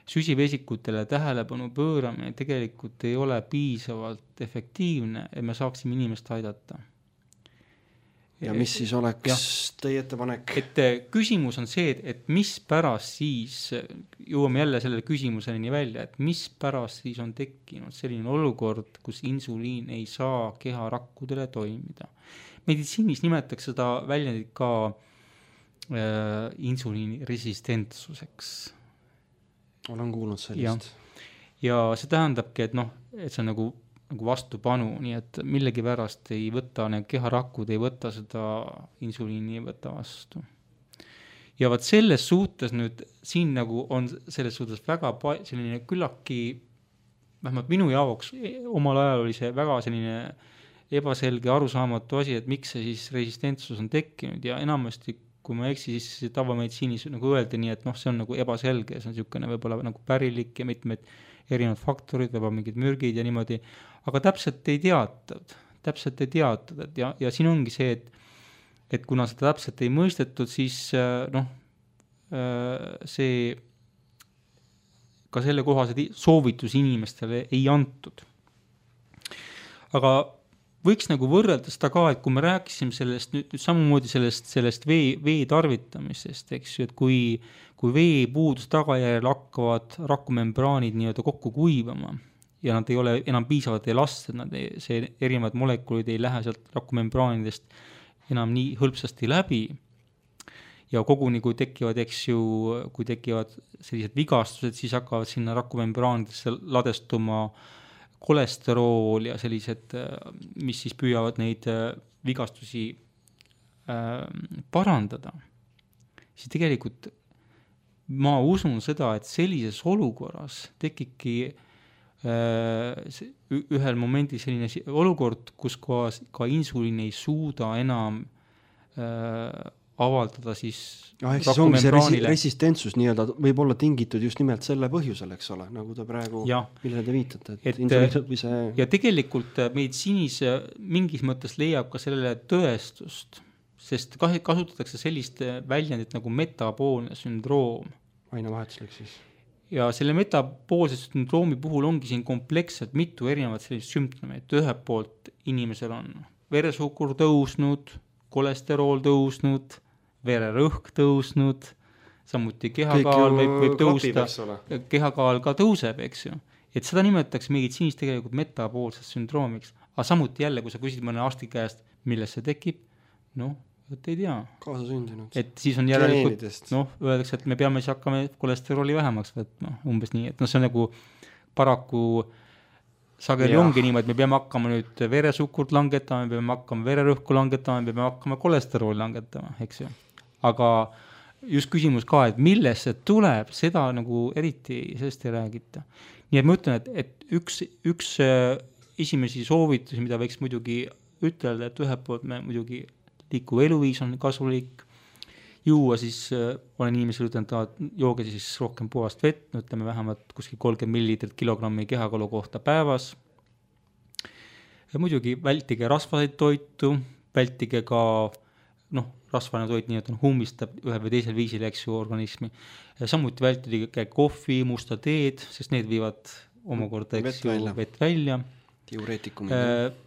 süsivesikutele tähelepanu pööramine tegelikult ei ole piisavalt efektiivne, et me saaksime inimest aidata. Ja mis siis oleks teie ettepanek? Et küsimus on see, et mis pärast siis, jõuame jälle selle küsimuseni välja, et mis pärast siis on tekkinud selline olukord, kus insuliin ei saa keharakkudele toimida. Meditsiinis nimetatakse seda väljendit ka insuliini resistentsuseks. Olen kuulnud sellist. Ja see tähendabki, et see on nagu vastupanu, nii et millegi pärast ei võta, need keharakud ei võta seda insuliini ei võta vastu. Ja vaat selles suhtes nüüd, siin on selles suhtes väga selline küllaki, vähemalt minu jaoks omal ajal oli see väga selline ebaselge arusaamatu asi, et miks see siis resistentsus on tekkinud ja enamasti, kui ma eksi, siis tavameditsiinis öeldi nii, et see on ebaselge, see on niisugune võib-olla pärilik ja mitmed erinevad faktorid, võib-olla mingid mürgid ja niimoodi, aga täpselt ei teatud, ja siin ongi see, et kuna seda täpselt ei mõistetud, siis see ka selle kohased soovitus inimestele ei antud. Aga võiks võrrelda seda ka, et kui me rääkisime sellest nüüd samamoodi sellest vee tarvitamisest, eks ju, et kui veepuudus tagajärjel hakkavad rakumembraanid nii-öelda kokku kuivama ja nad ei ole enam piisavalt elastsed, see erinevad molekulid ei lähe sealt rakumembraanidest enam nii hõlpsasti läbi ja koguni kui tekivad sellised vigastused, siis hakkavad sinna rakumembraanidesse ladestuma kolesterool ja sellised, mis siis püüavad neid vigastusi parandada, siis tegelikult ma usun seda, et sellises olukorras tekibki ühel momendil selline olukord, kus ka insuliin ei suuda enam avaldada siis ehk siis ongi see resistentsus nii-öelda võib olla tingitud just nimelt selle põhjusel, eks ole, nagu te praegu, millele te viitate, ja tegelikult meditsiinis mingis mõttes leiab ka sellele tõestust, sest kasutatakse sellist väljendit nagu metaboolne sündroom. Ainevahetuslik siis. Ja selle metaboolse sündroomi puhul ongi siin kompleksselt mitu erinevat sellist sümptomeid. Ühelt poolt inimesel on veresuhkur tõusnud, kolesterool tõusnud, vererõhk tõusnud, samuti kehakaal võib tõusta, kehakaal ka tõuseb, eks ju. Et seda nimetatakse meditsiinis tegelikult metaboolsest sündroomiks. Aga samuti jälle, kui sa küsid mõne arsti käest, millest see tekib, et ei tea. Kaasa sündinud. Et siis on järelikult, öeldakse, et me peame siis hakkame kolesterooli vähemaks võtma, umbes nii. Et see on nagu paraku sageli ongi niimoodi, et me peame hakkama nüüd veresuhkurt langetama, me peame hakkama vererõhku langetama, me peame hakkama kolesterooli langetama, eks ju. Aga just küsimus ka, et millest see tuleb, seda nagu eriti sellest ei räägita. Nii et ma ütlen, et üks esimesi soovitusi, mida võiks muidugi ütelda, et ühelt poolt me muidugi liikuv eluviis on kasulik, juua siis, olen inimesel ütelnud, et jooge siis rohkem puhast vett, ütleme vähemalt kuskil 30 millilitrit kilogrammi kehakalu kohta päevas. Ja muidugi vältige rasvaseid toitu, vältige ka rasvane toit nii, et hummistab ühel või teisel viisil, eks ju, organismi. Ja samuti vältige kohvi, musta teed, sest need viivad omakorda vett välja. Diureetikumid.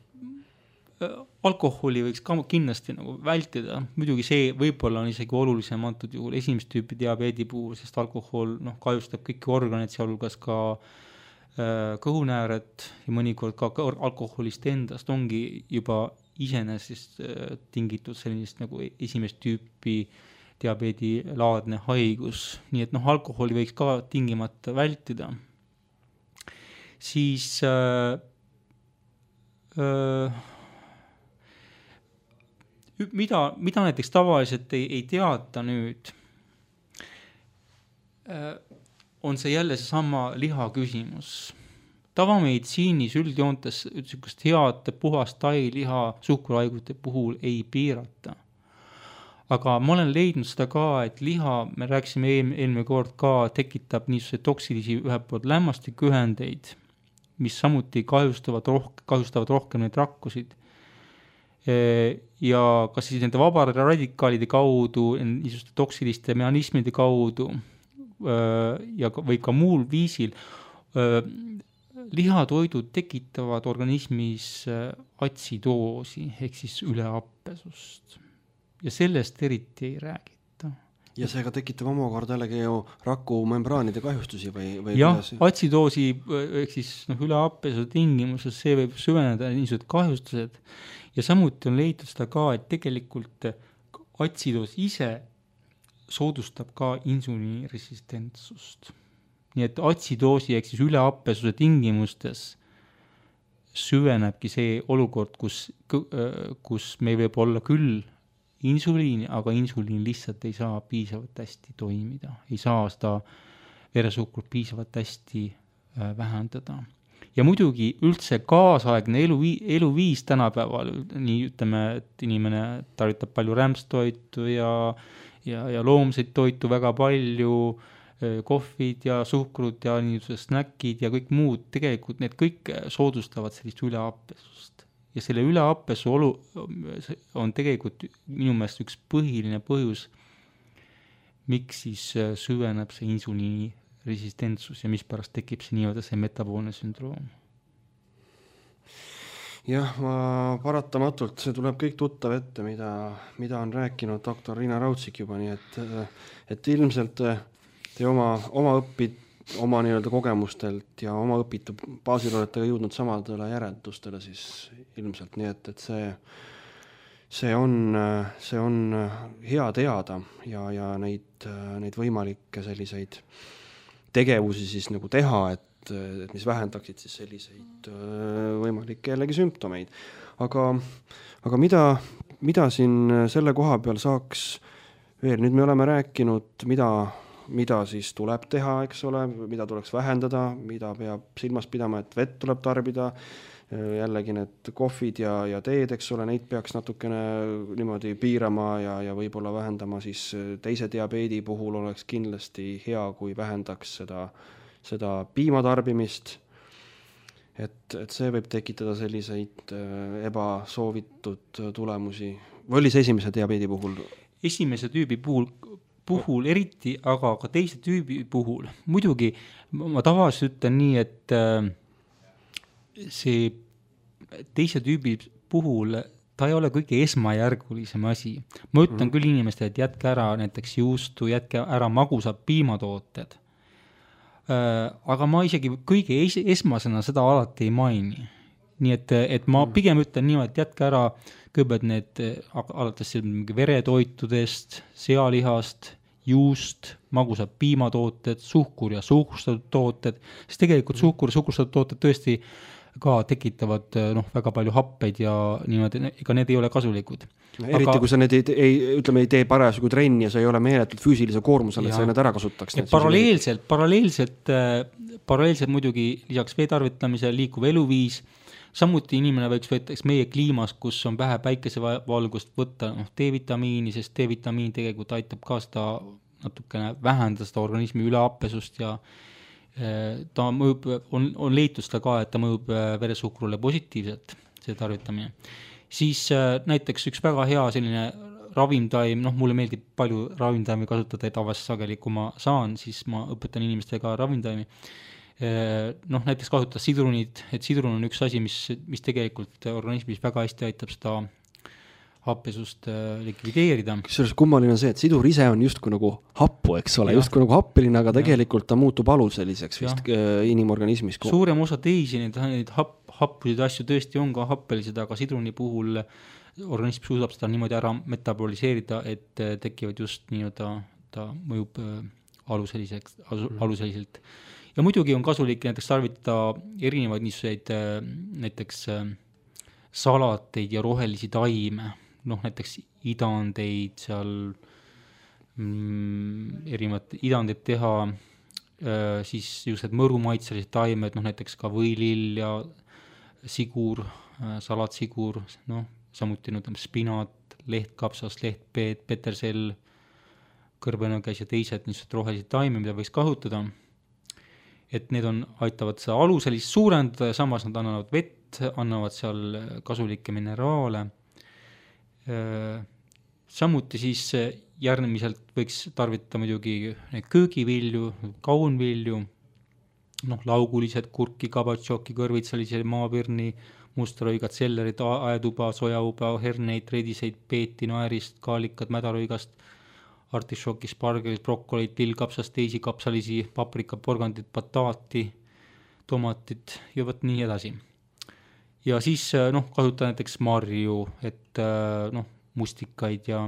Alkoholi võiks ka kindlasti nagu vältida, muidugi see võib-olla on isegi olulisem antud juhul esimest tüüpi diabeedi puhul, sest alkohol kahjustab kõiki organeid, sealhulgas ka kõhunääred ja mõnikord ka alkoholist endast ongi juba iseenesest tingitud sellisest nagu esimest tüüpi diabeedi laadne haigus, nii et alkoholi võiks ka tingimata vältida. Siis mida näiteks tavaliselt ei teata nüüd, on see jälle seesama liha küsimus. Tavameditsiinis üldjoontes head puhast tailiha suhkruhaiguste puhul ei piirata. Aga ma olen leidnud seda ka, et liha, me rääkisime eelmine kord ka, tekitab niisuguse toksilisi ühelt poolt lämmastikühendeid, mis samuti kahjustavad rohkem neid rakkusid. Ja kas siis nende vabade radikaalide kaudu, niisuguste toksiliste mehhanismide kaudu või ka muul viisil, lihatoidud tekitavad organismis atsidoosi ehk siis üleappesust. Ja sellest eriti ei räägita. Ja seega tekitab omakorda jällegi ju rakumembraanide kahjustusi või jah, atsidoosi ehk siis üleappesu tingimuses see võib süveneda niisugused kahjustused ja samuti on leitud seda ka, et tegelikult atsidoos ise soodustab ka insuliiniresistentsust. Nii et atsidoosi ehk siis üleappesuse tingimustes süvenebki see olukord, kus meil võib olla küll insuliini, aga insuliin lihtsalt ei saa piisavalt hästi toimida, ei saa seda veresuhkrut piisavalt hästi vähendada. Ja muidugi üldse kaasaegne eluviis tänapäeval, nii ütleme, et inimene tarvitab palju rämpstoitu ja loomseid toitu väga palju, kohvid ja suhkrut ja niisugused snäkid ja kõik muud, tegelikult need kõik soodustavad sellist üleappesust. Ja selle üleappesu on tegelikult minu meelest üks põhiline põhjus, miks siis süveneb see insuliini resistentsus ja mispärast tekib see nii-öelda see metaboolne sündroom. Jah, paratamatult see tuleb kõik tuttav ette, mida on rääkinud doktor Riina Raudsik juba, nii et ilmselt te oma nii-öelda kogemustelt ja oma õpitu baasil olete jõudnud samadele järeldustele siis ilmselt, nii et see on hea teada ja neid võimalikke selliseid tegevusi siis nagu teha, et mis vähendaksid siis selliseid võimalikke jällegi sümptomeid. Aga mida siin selle koha peal saaks veel, nüüd me oleme rääkinud, mida siis tuleb teha, eks ole, mida tuleks vähendada, mida peab silmas pidama, et vett tuleb tarbida, jällegi need kohvid ja teed, eks ole, neid peaks natukene niimoodi piirama ja võib-olla vähendama siis teise diabeedi puhul oleks kindlasti hea, kui vähendaks seda piimatarbimist, et see võib tekitada selliseid ebasoovitud tulemusi. Või oli see esimese diabeedi puhul? Esimese tüübi puhul eriti, aga ka teise tüübi puhul. Muidugi ma tavaliselt ütlen nii, et see teise tüübi puhul ta ei ole kõige esmajärgulisem asi. Ma ütlen küll inimestele, et jätke ära näiteks juustu, jätke ära magusad piimatooted. Aga ma isegi kõige esmasena seda alati ei maini. Nii et ma pigem ütlen niimoodi, et jätke ära kõigepealt need alates veretoitudest, sealihast, juust, magusad piimatooted, suhkur ja suhkrustatud tooted, sest tegelikult suhkur ja suhkrustatud tooted tõesti ka tekitavad väga palju happeid ja niimoodi, ega need ei ole kasulikud. Eriti kui sa need ei tee parasjagu trenni ja sa ei ole meeletult füüsilise koormusele, et sa need ära kasutaks. Paralleelselt muidugi lisaks veetarvitamise liikuv eluviis, samuti inimene võiks võtta meie kliimas, kus on vähe päikesevalgust võtta D-vitamiini, sest D-vitamiin tegelikult aitab ka seda natukene vähendada seda organismi üleappesust ja ta mõjub, on leitud seda ka, et ta mõjub veresuhkrule positiivselt, see tarvitamine. Siis näiteks üks väga hea selline ravimtaim, mulle meeldib palju ravimtaimi kasutada tavaliselt sageli, kui ma saan, siis ma õpetan inimestega ravimtaimi. Näiteks kasutada sidrunit, et sidrun on üks asi, mis tegelikult organismis väga hästi aitab seda happesust likvideerida. Kusjuures kummaline on see, et sidur ise on justkui nagu happu, eks ole, justkui nagu happeline, aga tegelikult ta muutub aluseliseks vist inimorganismis. Suurem osa teisi neid happusid asju tõesti on ka happelised, aga sidruni puhul organism suudab seda niimoodi ära metaboliseerida, et tekivad just nii-öelda, ta mõjub aluseliselt. Ja muidugi on kasulik näiteks tarvitada erinevaid niisuguseid näiteks salateid ja rohelisi taime, näiteks idandeid seal, erinevad idandeid teha, siis just mõrumaitselised taimed, näiteks ka võilill ja sigur, salatsigur, samuti spinat, lehtkapsas, lehtpeed, petersell, kõrbenõges ja teised niisugused rohelised taime, mida võiks kasutada. Et need aitavad seda aluselist suurendada ja samas nad annavad vett, annavad seal kasulikke mineraale. Samuti siis järgmiselt võiks tarvitada muidugi köögivilju, kaunvilju, laugulised, kurki, kabatšoki, kõrvitsalisi, maapirni, mustarõigad, sellerid, aetuba, sojauba, herneid, rediseid, peeti, naerist, kaalikad, mädarõigast, artišoki, spargelit, brokolit, lillkapsast, teisi kapsalisi, paprika, porgandit, bataati, tomatit ja võt nii edasi. Ja siis kasutada näiteks marju, et mustikaid ja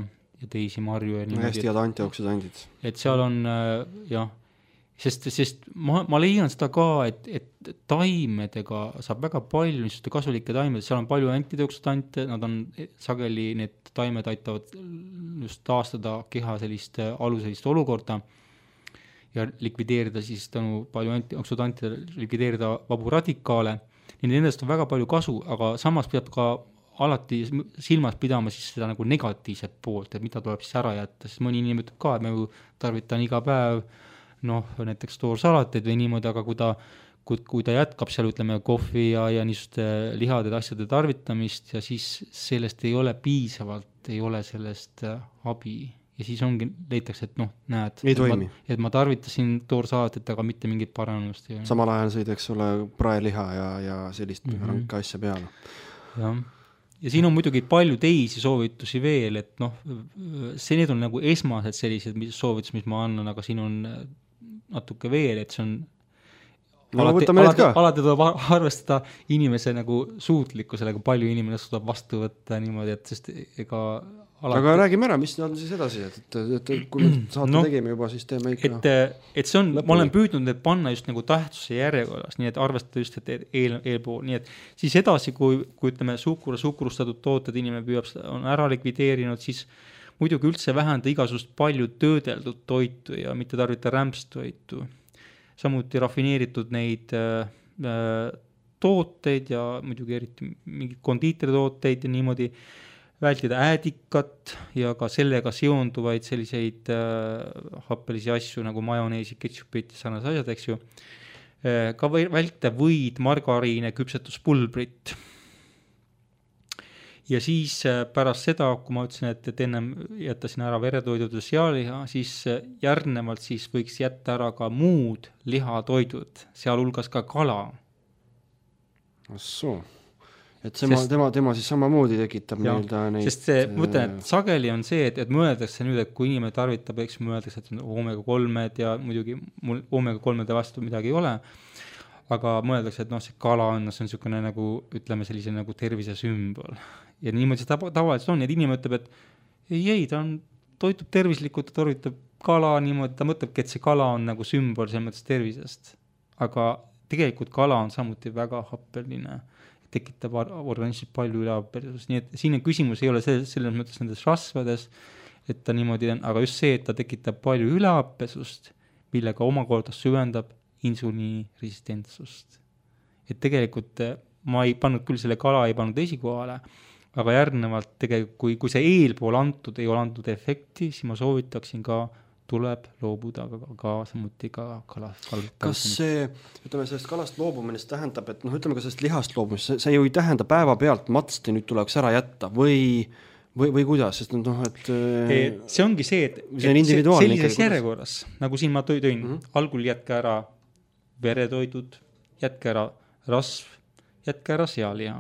teisi marju. Hästi head antioksidandid. Et seal on, sest ma leian seda ka, et taimedega saab väga palju niisuguste kasulikke taimed, seal on palju antioksidante, nad on sageli, need taimed aitavad just taastada keha sellist aluselist olukorda ja likvideerida siis tänu palju antioksidantide, likvideerida vabu radikaale. Nendest on väga palju kasu, aga samas peab ka alati silmas pidama siis seda nagu negatiivset poolt, et mida tuleb siis ära jätta, sest mõni inimene ütleb ka, et ma ju tarvitan iga päev näiteks toorsalateid või niimoodi, aga kui ta jätkab seal, ütleme, kohvi ja niisuguste lihade asjade tarvitamist ja siis sellest ei ole piisavalt, ei ole sellest abi ja siis ongi, leitakse, et näed, et ma tarvitasin toorsalatit, aga mitte mingit paranemust. Samal ajal sõid, eks ole, praeliha ja sellist ranka asja peale. Ja siin on muidugi palju teisi soovitusi veel, et need on nagu esmased sellised soovitus, mis ma annan, aga siin on natuke veel, et see on alati tuleb arvestada inimese nagu suutlikkusele, kui palju inimene suudab vastu võtta niimoodi, et sest ega alati... Aga räägime ära, mis on siis edasi, et kui me saate tegime juba, siis teeme ikka... Et see on, ma olen püüdnud need panna just nagu tähtsuse järjekorras, nii et arvestada just, et eelpool, nii et siis edasi, kui ütleme suhkrustatud tooted inimene püüab, on ära likvideerinud, siis muidugi üldse vähenda igasust palju töödeldud toitu ja mitte tarvita rämpstoitu. Samuti rafineeritud neid tooteid ja muidugi eriti mingid kondiiteritooteid ja niimoodi vältida äädikat ja ka sellega seonduvaid selliseid happelisi asju nagu majoneesi, ketšupit ja sarnased asjad, eks ju. Ka vältida võid, margariine, küpsetuspulbrit. Ja siis pärast seda, kui ma ütlesin, et ennem jättasin ära veretoidud ja sealiha, siis järgnevalt siis võiks jätta ära ka muud lihatoidud, sealhulgas ka kala. Assoo. Et tema siis samamoodi tekitab neid... Sest mõtlen, et sageli on see, et mõeldakse nüüd, et kui inimene tarvitab, eks mõeldakse, et omega-3 ja muidugi mul omega-3 vastu midagi ei ole, aga mõeldakse, et see kala on, see on niisugune nagu, ütleme sellise nagu tervise sümbol. Ja niimoodi see tavaliselt on, et inimene ütleb, et ei, ta toitub tervislikult, ta tarvitab kala niimoodi, ta mõtlebki, et see kala on nagu sümbol selles mõttes tervisest. Aga tegelikult kala on samuti väga happeline, tekitab organismis palju ülehappesust, nii et siin küsimus ei ole selles mõttes nendes rasvades, et ta niimoodi on, aga just see, et ta tekitab palju ülehappesust, millega omakorda süvendab insuliiniresistentsust. Et tegelikult ma ei pannud küll selle kala, ei pannud esikohale, aga järgnevalt tegelikult, kui see eelpool ei ole antud efekti, siis ma soovitaksin ka tuleb loobuda ka samuti ka kalast. Kas see, ütleme, sellest kalast loobumine tähendab, et ütleme ka sellest lihast loobumist, see ju ei tähenda päeva pealt matsti nüüd tuleks ära jätta või kuidas, sest et see ongi see, et sellises järjekorras, nagu siin ma tõin, algul jätke ära veretoidud, jätke ära rasv, jätke ära sealiha.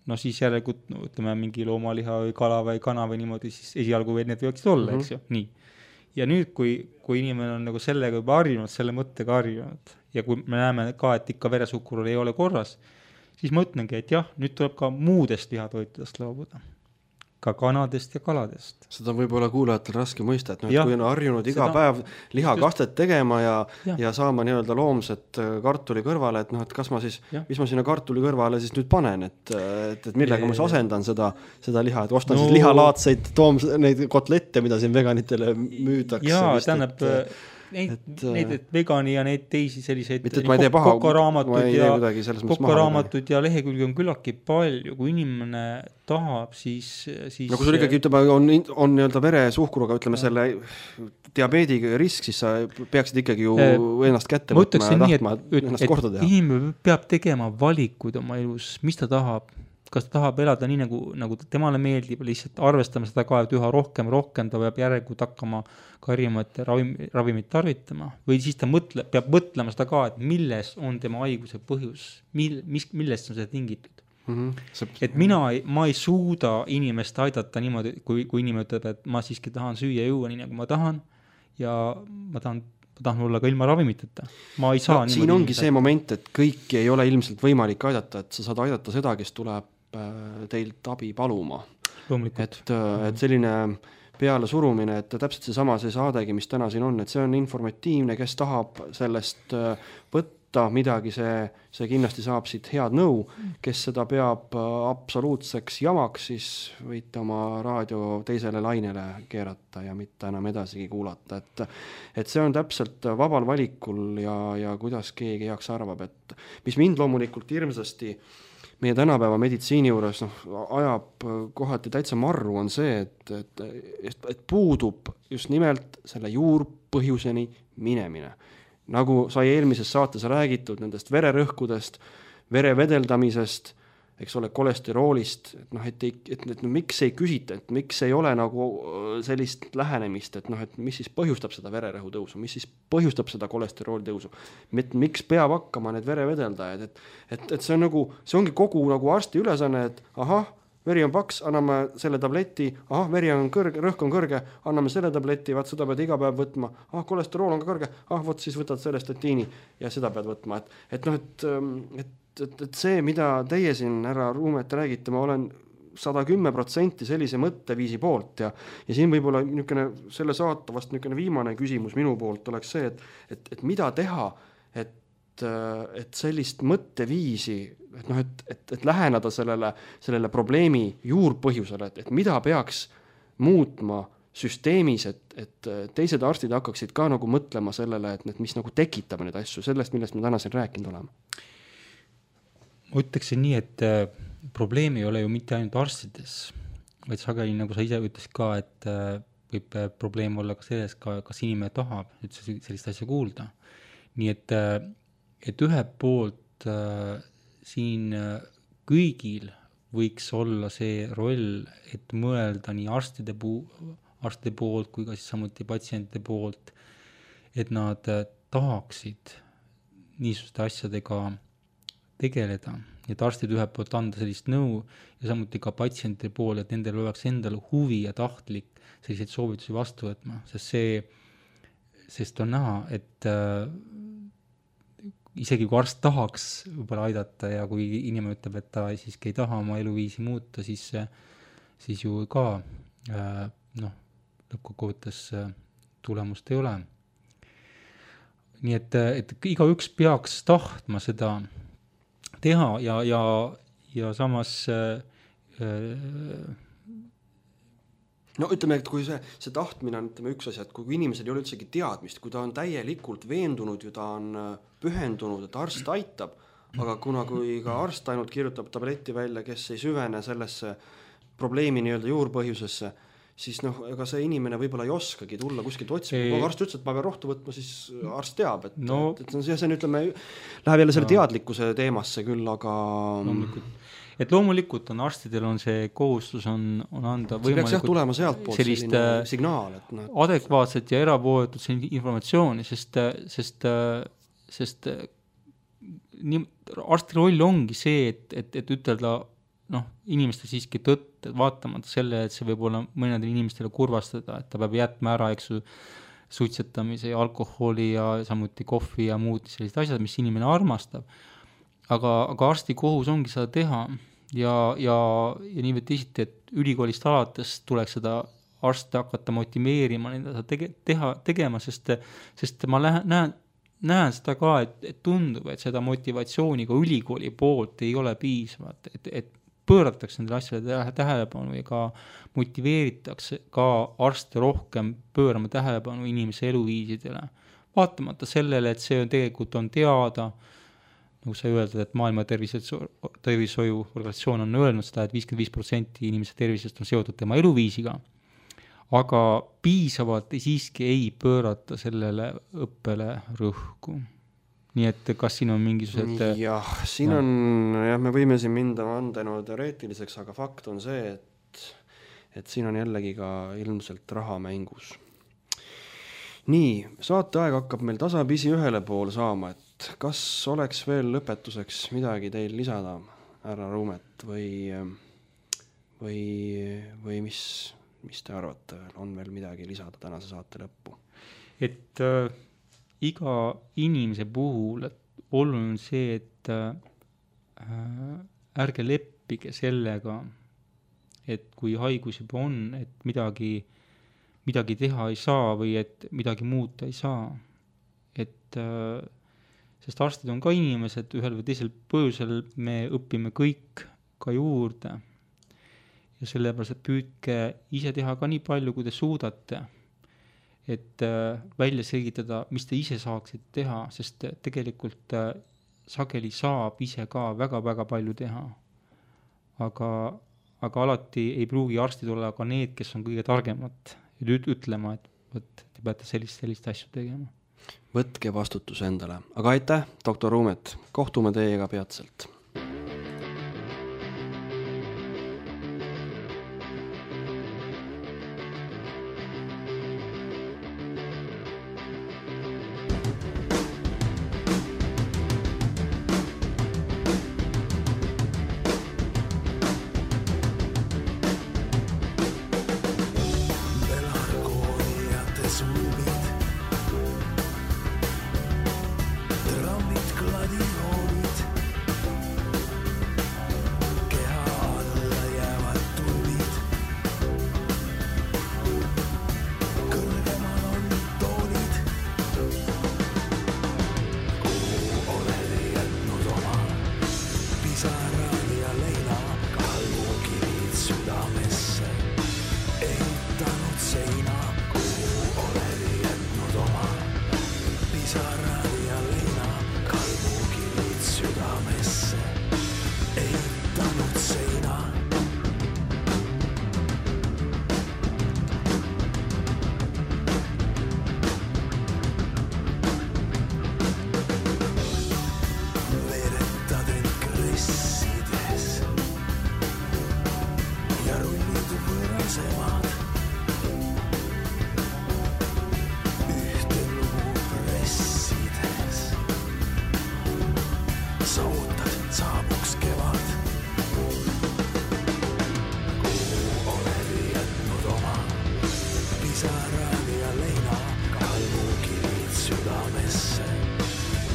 no siis järelikult ütleme mingi loomaliha või kala või kana või niimoodi, siis esialgu veel need võiksid olla, eks ju, nii. Ja nüüd, kui inimene on nagu sellega juba harjunud, selle mõttega harjunud ja kui me näeme ka, et ikka veresuhkur ei ole korras, siis ma ütlengi, et jah, nüüd tuleb ka muudest lihatoitudest loobuda. Ka kanadest ja kaladest. Seda on võib-olla kuulajatel raske mõista, et kui on harjunud iga päev lihakastet tegema ja saama nii-öelda loomset kartuli kõrvale, et et kas ma siis, mis ma sinna kartuli kõrvale siis nüüd panen, et millega ma siis asendan seda liha, et ostan siis lihalaadseid neid kotlette, mida siin veganitele müüdakse. Jaa, tähendab neid vegani ja neid teisi selliseid kokaraamatut ja lehekülgi on küllaltki palju, kui inimene tahab, siis no kui sul ikkagi on nii-öelda veresuhkruga, ütleme selle diabeediga risk, siis sa peaksid ikkagi ju ennast kätte võtma ja tahtma ennast korda teha. Inimene peab tegema valikuid oma elus, mis ta tahab, kas ta tahab elada nii, nagu temale meeldib, lihtsalt arvestama seda ka, et üha rohkem ta peab järelikult hakkama karimate ravimit tarvitama, või siis ta peab mõtlema seda ka, et milles on tema haiguse põhjus, millest on seda tingitud. Et ma ei suuda inimest aidata niimoodi, kui inimene ütleb, et ma siiski tahan süüa ja juua nii, nagu ma tahan, ja ma tahan olla ka ilma ravimiteta. Ma ei saa siin ongi see moment, et kõiki ei ole ilmselt võimalik aidata, et sa saad aidata seda, kes tuleb teilt abi paluma. Et selline peale surumine, et täpselt see saadegi, mis täna siin on, et see on informatiivne, kes tahab sellest võtta midagi, see kindlasti saab siit head nõu, kes seda peab absoluutseks jamaks, siis võite oma raadio teisele lainele keerata ja mitte enam edasigi kuulata, et see on täpselt vabal valikul ja kuidas keegi heaks arvab, et mis mind loomulikult hirmsasti meie tänapäeva meditsiini juures ajab kohati täitsa marru, on see, et puudub just nimelt selle juurpõhjuseni minemine. Nagu sai eelmises saates räägitud nendest vererõhkudest, vere vedeldamisest, eks ole, kolesteroolist, et miks ei küsita, et miks ei ole nagu sellist lähenemist, et mis siis põhjustab seda vererõhu tõusu, mis siis põhjustab seda kolesterooli tõusu, miks peab hakkama need verevedeldajad, et see on nagu, see ongi kogu nagu arsti ülesanne, et ahah, veri on paks, anname selle tableti, veri on kõrge, rõhk on kõrge, anname selle tableti, vaat seda pead iga päev võtma, kolesterool on ka kõrge, vot siis võtad selle statiini ja seda pead võtma, et see, mida teie siin, härra Ruumet, räägite, ma olen 110% sellise mõtteviisi poolt ja siin võib-olla niisugune selle saata vast niisugune viimane küsimus minu poolt oleks see, et mida teha, et sellist mõtteviisi, et läheneda sellele probleemi juurpõhjusele, et mida peaks muutma süsteemis, et teised arstid hakkaksid ka nagu mõtlema sellele, et mis nagu tekitab neid asju, sellest, millest me täna siin rääkinud oleme. Ma ütleksin nii, et probleem ei ole ju mitte ainult arstides, vaid sageli, nagu sa ise ütlesid ka, et võib probleem olla ka selles, kas inimene tahab üldse sellist asja kuulda. Nii et ühelt poolt siin kõigil võiks olla see roll, et mõelda nii arstide poolt kui ka siis samuti patsientide poolt, et nad tahaksid niisuguste asjadega tegeleda, et arstid ühelt poolt anda sellist nõu ja samuti ka patsientide pool, et nendel oleks endal huvi ja tahtlik selliseid soovitusi vastu võtma, sest on näha, et isegi kui arst tahaks võib-olla aidata ja kui inimene ütleb, et ta siiski ei taha oma eluviisi muuta, siis ju ka lõppkokkuvõttes tulemust ei ole. Nii et igaüks peaks tahtma seda teha ja samas no ütleme, et kui see tahtmine on üks asi, et kui inimesel ei ole üldsegi teadmist, kui ta on täielikult veendunud ja ta on pühendunud, et arst aitab, aga kui ka arst ainult kirjutab tableti välja, kes ei süvene sellesse probleemi nii-öelda juurpõhjusesse, siis ega see inimene võib-olla ei oskagi tulla kuskilt otsima. Kui arst ütles, et ma pean rohtu võtma, siis arst teab, et see ütleme, läheb jälle selle teadlikkuse teemasse küll, aga loomulikult on arstidel on see kohustus on anda võimalikult tulema sealt poolt selline signaal, adekvaatset ja erapooletut informatsiooni, sest arsti roll ongi see, et ütelda inimestel siiski tõtt, et vaatamata selle, et see võib olla mõnedel inimestele kurvastada, et ta peab jätma ära, suitsetamise ja alkoholi ja samuti kohvi ja muud sellised asjad, mis inimene armastab. Aga arsti kohus ongi seda teha ja nii või teisiti, et ülikoolist alates tuleks seda arste hakata motiveerima nende tegema, sest ma näen seda ka, et tundub, et seda motivatsiooni ka ülikooli poolt ei ole piisavalt, et pööratakse nendele asjale tähelepanu ja ka motiveeritakse ka arste rohkem pöörama tähelepanu inimese eluviisidele. Vaatamata sellele, et see tegelikult on teada, nagu sa öelda, et maailma tervishoiu organisatsioon on öelnud seda, et 55% inimese tervisest on seotud tema eluviisiga, aga piisavalt siiski ei pöörata sellele õppele rõhku. Nii et kas siin on mingisugused... Siin on, me võime siin minna andenu teoreetiliseks, aga fakt on see, et siin on jällegi ka ilmselt raha mängus. Nii, saateaeg hakkab meil tasapisi ühele poole saama, et kas oleks veel lõpetuseks midagi teil lisada, härra Ruumet, või mis te arvate, on veel midagi lisada tänase saate lõppu? Et iga inimese puhul oluline on see, et ärge leppige sellega, et kui haigus juba on, et midagi teha ei saa või et midagi muuta ei saa. Sest arstid on ka inimesed, ühel või teisel põhjusel me õpime kõik ka juurde. Ja sellepärast, et püüdke ise teha ka nii palju, kui te suudate, et välja selgitada, mis te ise saaksite teha, sest tegelikult sageli saab ise ka väga-väga palju teha. Aga alati ei pruugi arstid olla ka need, kes on kõige targemad ütlema, et te peate sellist asju tegema. Võtke vastutus endale. Aga aitäh, doktor Ruumet. Kohtume teiega peatselt.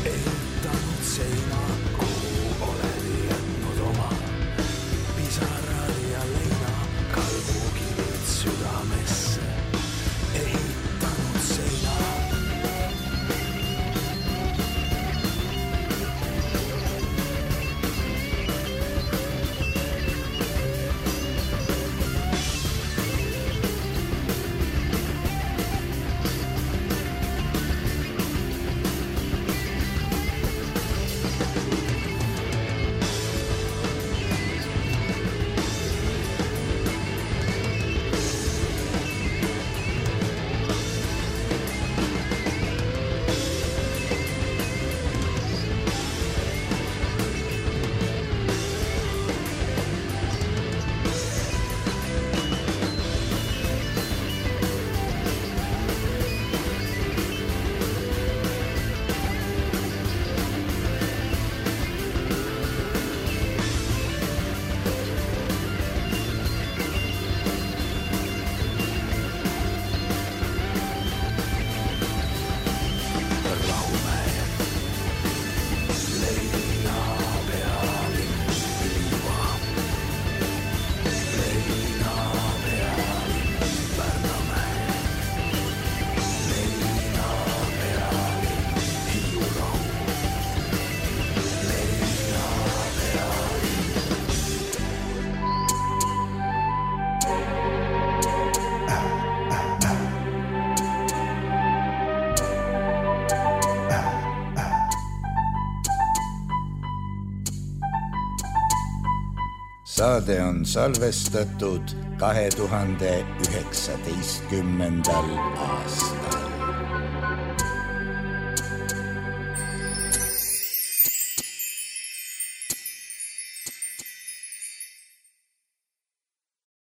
Eitanud seina, kuhu oled jätnud Saade on salvestatud 2019. aastal.